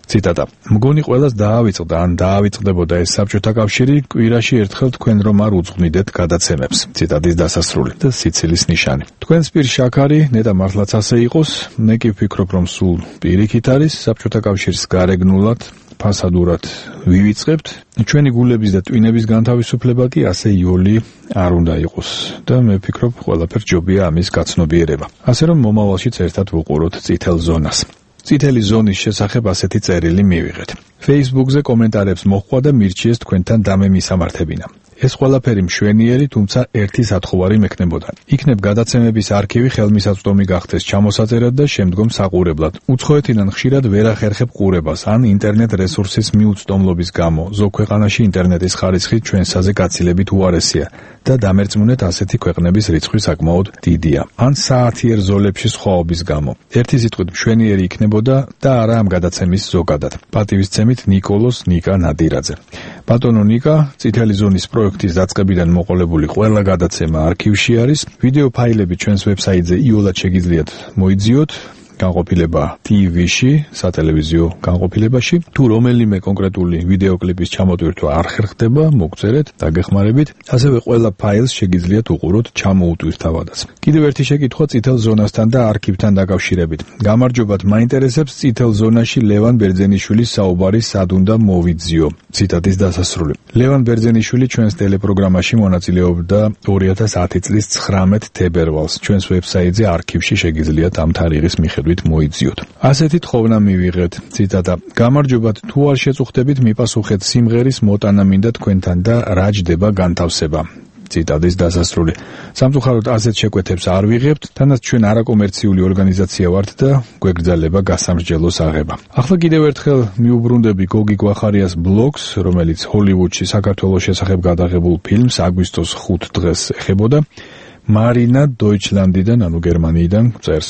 ციტატა. მგონი ყველას დაავიწყდა ან დაავიწყდებოდა ეს საბჭოთა კავშირი, კვირაში ერთხელ თქვენ რომ არ უძღვნიდეთ გადაცემებს. ციტატის დასასრული და სიცილის ნიშანი. თქვენს პირ შაქარი, ნეტა მართლაც ასე იყოს, მე კი ვფიქრობ, რომ სულ პირიქით არის საბჭოთა კავშირის გარეგნულად ფასადურად ვივიწყებთ. ჩვენი გულების და ტვინების განთავისუფლება კი ასე იოლი არ უნდა იყოს და მე ვფიქრობ, ყველაფერს ჯობია ამის გაცნობიერება. ასე რომ მომავალშიც ერთად ვუყუროთ წითელ ზონას. წითელი ზონის შესახებ ასეთი წერილი მივიღეთ. Facebook-ზე კომენტარებს მოჰყვა და მირჩიეს თქვენთან დამემისამართებინა. ეს ყველაფერი მშვენიერი, თუმცა ერთი სათხოვარი მექნებოდა. იქნებ გადაცემების არქივი ხელმისაწვდომი გახდეს ჩამოსაწერად და შემდგომ საყურებლად. უცხოეთიდან ხშირად ვერ ახერხებ ყურებას ან ინტერნეტ რესურსის მიუწვდომლობის გამო. ზოგ ქვეყანაში ინტერნეტის ხარისხი ჩვენსაზე გაცილებით უარესია და დამერწმუნეთ ასეთი ქვეყნების რიცხვი საკმაოდ დიდია. ან საათიერ ზოლებში სხვაობის გამო. ერთი სიტყვით მშვენიერი იქნებოდა და არა ამ გადაცემის ზოგადად. პატივისცემით ნიკოლოს ნიკა ნადირაძე. ბატონო ნიკა, წითელი ზონის პროექტის დაწყებიდან მოყოლებული ყველა გადაცემა არქივში არის. ვიდეო ფაილები ჩვენს ვებსაიტზე იოლად შეგიძლიათ მოიძიოთ. განყოფილება ტი-ვიში, სატელევიზიო განყოფილებაში. თუ რომელიმე კონკრეტული ვიდეო კლიპის ჩამოტვირთვა არ ხერხდება, მოგწერეთ, დაგეხმარებით. ასევე ყველა ფაილს შეგიძლიათ უყუროთ ჩამოუტვირთავადაც. კიდევ ერთი შეკითხვა წითელ ზონასთან და არქივთან დაკავშირებით. გამარჯობათ, მაინტერესებს წითელ ზონაში ლევან ბერძენიშვილის საუბარი სად უნდა მოვიძიო. ციტატის დასასრული. ლევან ბერძენიშვილი ჩვენს ტელეპროგრამაში მონაწილეობდა ორი ათას ათი წლის ცხრამეტ თებერვალს. ჩვენს ვებსაიტზე არქივში შეგიძლიათ ამ თარიღის მიხედვით მოიძიოთ. ასეთი თხოვნა მივიღეთ. ციტატა. გამარჯობათ, თუ არ შეწუხდებით, მიპასუხეთ სიმღერის მოტანა მინდა თქვენთან და რა ჯდება განთავსება. ციტატის დასასრული. სამწუხაროდ ასეთ შეკვეთებს არ ვიღებთ, თანაც ჩვენ არაკომერციული ორგანიზაცია ვართ და გვეგრძელება გასამსჯელოს აღება. ახლა კიდევ ერთხელ მიუბრუნდები გოგი გვახარიას ბლოგს, რომელიც ჰოლივუდში საქართველოს შესახებ გადაღებულ ფილმს აგვისტოს ხუთ დღეს ეხებოდა. მარინა დოიჩლანდიდან, ანუ გერმანიიდან წერს.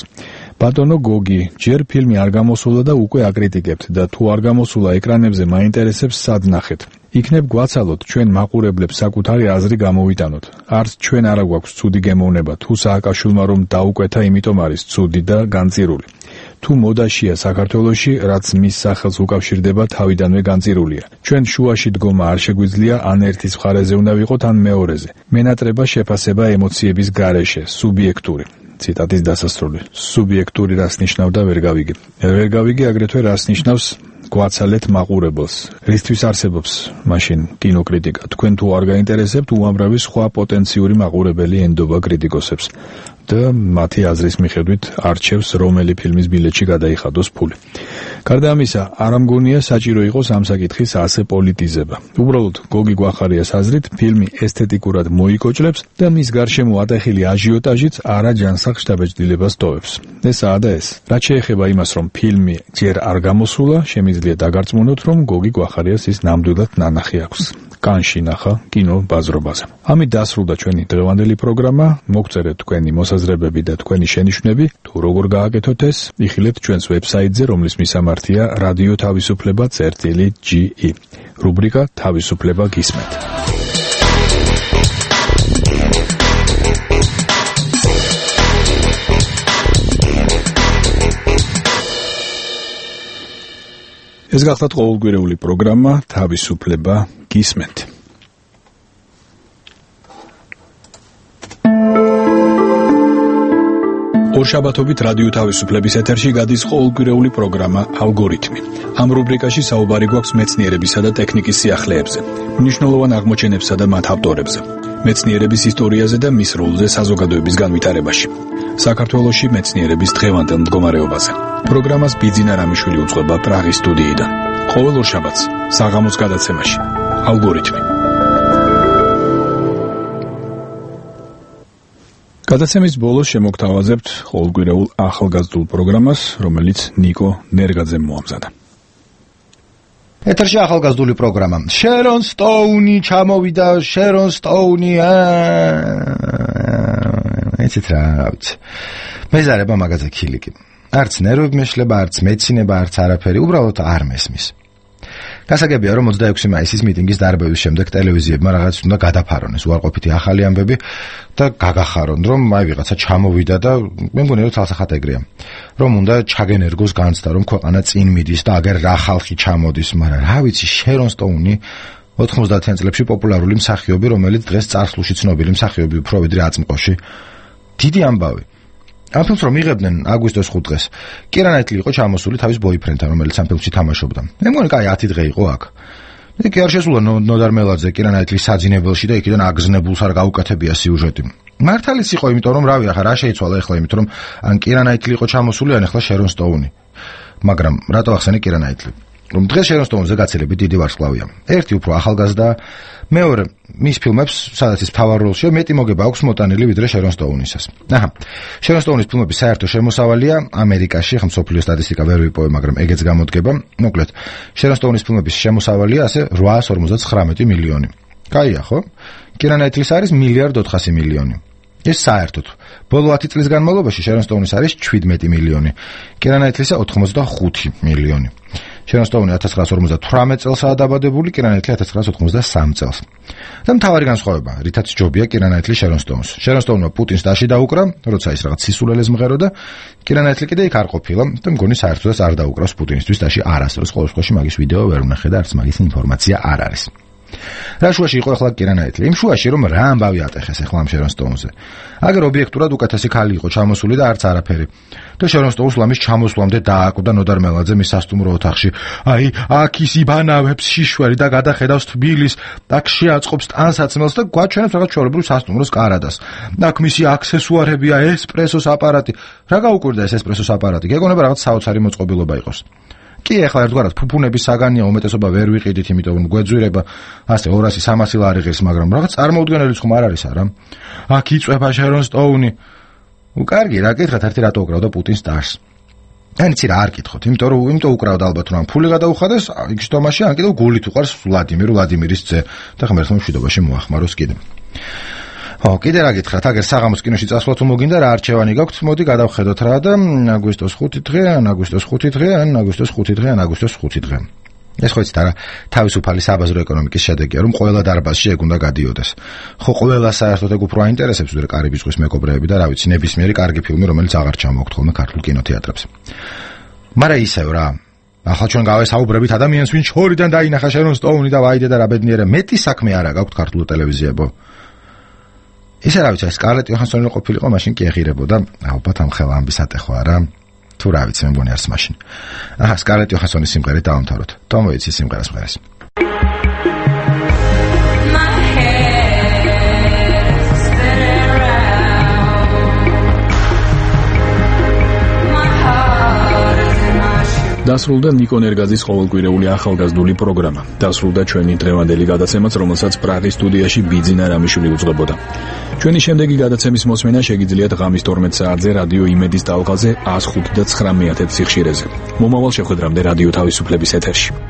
ბატონო გოგი, ჯერ ფილმი არ გამოსულა და უკვე აკრიტიკებთ და თუ არ გამოსულა ეკრანებზე მაინტერესებს სად ნახეთ. იქნებ გვაცალოთ ჩვენ მაყურებლებს საკუთარი აზრი გამოვიტანოთ. არც ჩვენ არა გვაქვს ცუდი გემოვნება, თუ სააკაშვილმა რომ დაუკვეთა, იმიტომ არის ცუდი და განწირული. თუ მოდაშია საქართველოში, რაც მის სახელს უკავშირდება, თავიდანვე განწირულია. ჩვენ შუაში დგომა არ შეგვიძლია, ან ერთის მხარეზე უნდა ვიყოთ, ან მეორეზე. მენატრება შეფასება ემოციების გარეშე, სუბიექტური. ციტატის დასასრული. სუბიექტური რას ნიშნავდა ვერ გავიგე. ვერ გავიგე აგრეთვე რას ნიშნავს გვაცალეთ მაყურებელს. რისთვის არსებობს მაშინ კინოკრიტიკა? თქვენ თუ არ გაინტერესებთ, უამრავი სხვა პოტენციური მაყურებელი ენდობა კრიტიკოსებს. და მათი აზრის მიხედვით არჩევს რომელი ფილმის ბილეთში გადაიხადოს ფული. გარდა ამისა, არ ამგონია საჭირო იყოს ამ საკითხის ასე პოლიტიზება. უბრალოდ გოგი გვახარიას აზრით, ფილმი ესთეტიკურად მოიკოჭლებს და მის გარშემო ატეხილი აჟიოტაჟიც არა ჯანსაღ შთაბეჭდილებას ტოვებს. ესაა და ეს. რაც შეეხება იმას, რომ ფილმი ჯერ არ გამოსულა, შემიძლია დაგარწმუნოთ, რომ გოგი გვახარიას ის ნამდვილად ნანახი აქვს. კანში ნახა კინო ბაზრობაზე. ამით დასრულდა ჩვენი დღევანდელი პროგრამა. მოგწერეთ თქვენი მოსაზრებები და თქვენი შენიშვნები, თუ როგორ გააკეთოთ ეს, იხილეთ ჩვენს ვებსაიტზე, რომლის მისამართია რადიო თავისუფლება წერტილი ჯი ი. რუბრიკა თავისუფლება გისმენთ. ეს გახლავთ ყოველკვირეული პროგრამა თავისუფლება გისმენთ. ორშაბათობით რადიო თავისუფლების ეთერში გადის ყოველკვირეული პროგრამა ალგორითმი. ამ რუბრიკაში საუბარი გვაქვს მეცნიერებისა და ტექნიკის სიახლეებზე, მნიშვნელოვან აღმოჩენებსა და მათ ავტორებზე, მეცნიერების ისტორიაზე და მის როლზე საზოგადოების განვითარებაში. საქართველოში მეცნიერების დღევანდელ მდგომარეობაზე. პროგრამას ბიძინა რამიშვილი უძღვება პრაღის სტუდიიდან. ყოველ ორშაბათს საღამოს გადაცემაში ალგორითმი. გადაცემის ბოლოს შემოგთავაზებთ ყოველკვირეულ ახალგაზრდულ პროგრამას, რომელიც ნიკო ნერგაძემ მოამზადა. ეთერში ახალგაზრდული პროგრამა. შერონ სტოუნი ჩამოვიდა, შერონ სტოუნი. ეცეთ რა ვიცი. მეზარება მაგაზე ქილიკი. არც ნერვები მეშლება, არც მეცინება, არც არაფერი, უბრალოდ არ მესმის. გასაგებია, რომ ოცდაექვსი მაისის მიტინგის დარბევის შემდეგ ტელევიზიებმა რაღაც უნდა გადაფარონეს უარყოფითი ახალი ამბები და გაგახარონ, რომ აი ვიღაცა ჩამოვიდა და მე მგონია რომ თალსახად ეგრეა. რომ უნდა ჩაგენერგოს განცდა, რომ ქვეყანა წინ მიდის და აგერ რა ხალხი ჩამოდის, მაგრამ რა ვიცი, შერონ სტოუნი ოთხმოცდაათიან წლებში პოპულარული მსახიობი, რომელიც დღეს წარსულში ცნობილი მსახიობი უფრო ვიდრე აწმყოში. დიდი ამბავი. ამ ფილმს რომ იღებდნენ აგვისტოს ხუთ დღეს, კირა ნაიტლი იყო ჩამოსული თავის ბოიფრენდთან, რომელიც ამ ფილმში თამაშობდა. მე მგონი კაი ათი დღე იყო აქ. მე კი არ შესულა ნოდარ მელაძე კირა ნაიტლის საძინებელში და იქიდან აგზნებულს არ გაუკეთებია სიუჟეტი. მართალიც იყო, იმიტომ რომ რავი, ახლა რა შეიცვალა ახლა, იმიტომ რომ ან კირა ნაიტლი იყო ჩამოსული, ან ახლა შერონ სტოუნი. მაგრამ რატო ახსენე კირა ნაიტლი? რომ დღეს შერონ სტოუნზე გაცილებით დიდი ვარსკვლავია. ერთი უფრო ახალგაზრდა, მეორე მის ფილმებს, სადაც ის მთავარ როლშია, მეტი მოგება აქვს მოტანილი ვიდრე შერონ სტოუნისას. აჰა. შერონ სტოუნის ფილმების საერთო შემოსავალია ამერიკაში, ხა მსოფლიო სტატისტიკა ვერ ვიპოვე, მაგრამ ეგეც გამოდგება. მოკლედ, შერონ სტოუნის ფილმების შემოსავალია ასე რვაას ორმოცდათხრამეტი მილიონი. კაია, ხო? კირა ნაიტლის არის მილიარდ ოთხასი მილიონი. ეს საერთოდ. ბოლო ათი წლის განმავლობაში შერონ სტოუნის არის შვიდმეტი მილიონი. კირა ნაიტლისა ოთხმოცდახუთი მილიონი. შერონ სტოუნი ათას ცხრაას ორმოცდათვრამეტ წელსაა დაბადებული, კირა ნაიტლი ათას ცხრაას ოთხმოცდასამ წელს. და მთავარი განსხვავება, რითაც ჯობია კირა ნაიტლი შერონ სტოუნს. შერონ სტოუნმა პუტინს დაში დაუკრა, როცა ის რაღაც სისულელეს მღერო და კირა ნაიტლი კიდე იქ არ ყოფილა და მგონი საერთოდაც არ დაუკრავს პუტინისთვის დაში არასდროს. ყოველ შემთხვევაში მაგის ვიდეო ვერ ვნახე და არც მაგის ინფორმაცია არ არის. რა შუაში იყო ახლა კირა ნაიტლი? იმ შუაში რომ რა ამბავი ატეხეს ახლა ამ შერონ სტოუნზე. აგერ ობიექტურად უკეთესი ქალი იყო ჩამოსული და არც არაფერი. და შერონ სტოუნს ლამის ჩამოსვლამდე დააკვდა ნოდარ მელაძე მის სასტუმრო ოთახში. აი, აქ ის იბანავებს შიშველი და გადახედავს თბილის, აქ შეაწყობს ტანსაცმელს და გვაჩვენებს რაღაც ჩვეულებრივ სასტუმროს კარადას. აქ მისი აქსესუარებია, ესპრესოს აპარატი. რა გაუკვირდა ეს ესპრესოს აპარატი? გეგონება რაღაც საოცარი მოწყობილობა იყოს. კი, ახლა ერთგვარად ფუფუნების საგანია, უმეტესობა ვერ ვიყიდით, იმიტომ რომ გვეძვირება ასე ორასი სამასი ლარი ღირს, მაგრამ რაღაც წარმოუდგენელი ხომ არ არის არა? აქ იწვება შერონ სტოუნი. უკარგი, რა კითხეთ, ერთი რატო უკრავდა პუტინს დარს? ან იცი რა არ კითხოთ, იმიტომ რომ იმიტომ უკრავდა ალბათ რომ ფული გადაუხადეს, იქ შტომაში ან კიდევ გულით უყარს ვლადიმირ ვლადიმირის ძე და ღმერთმა მშვიდობაში მოახმაროს კიდე. ო, კიდე რა გითხრათ, აგერ საღამოს კინოში წასვლა თუ მოგინდა რა არჩევანი გაქვთ, მოდი გადავხედოთ რა და აგვისტოს ხუთი დღე, ან აგვისტოს ხუთი დღე, ან აგვისტოს ხუთი დღე, ან აგვისტოს ხუთი დღე. ეს ხო იცით არა, თავისუფალი საბაზრო ეკონომიკის შედეგია, რომ ყველა დარბაზში ეგ უნდა გადიოდეს. ხო ყველა საერთოდ ეგ უფრო აინტერესებს ვიდრე კარიბის ზღვის მეკობრეები და რა ვიცი, ნებისმიერი კარგი ფილმი, რომელიც აღარ ჩამოაქვთ ხოლმე ქართულ კინოთეატრებს. მაგრამ ისევ რა, ახლა ჩვენ გავესაუბრებით ადამიანს, ვინც შორიდან დაინახა შერონ სტოუნი და ვაიდე და რა ბედნიერა, მეტი საქმე არა გაქვთ ქართულ ტელევიზიებო. ისე რა ვიცი, სკარლეტ იოჰანსონი რო ყოფილიყო, მაშინ კი ეღირებოდა, ალბათ ამ ხელა ამბის ატეხვა არა. თუ რა ვიცი, მე მგონი არც მაშინ. აჰა, სკარლეტ იოჰანსონის სიმღერით დავამთავროთ. თომ მოიცი სიმღერას მღერეს. დასრულდა ნიკო ნერგაძის ყოველკვირეული ახალგაზრდული პროგრამა. დასრულდა ჩვენი დღევანდელი გადაცემაც, რომელსაც პრაღის სტუდიაში ბიძინა რამიშვილი უძღვებოდა. ჩვენი შემდეგი გადაცემის მოსმენა შეგიძლიათ ღამის თორმეტ საათზე რადიო იმედის ტალღაზე ას ხუთი და ცხრამეტ სიხშირეზე. მომავალ შეხვედრამდე რადიო თავისუფლების ეთერში.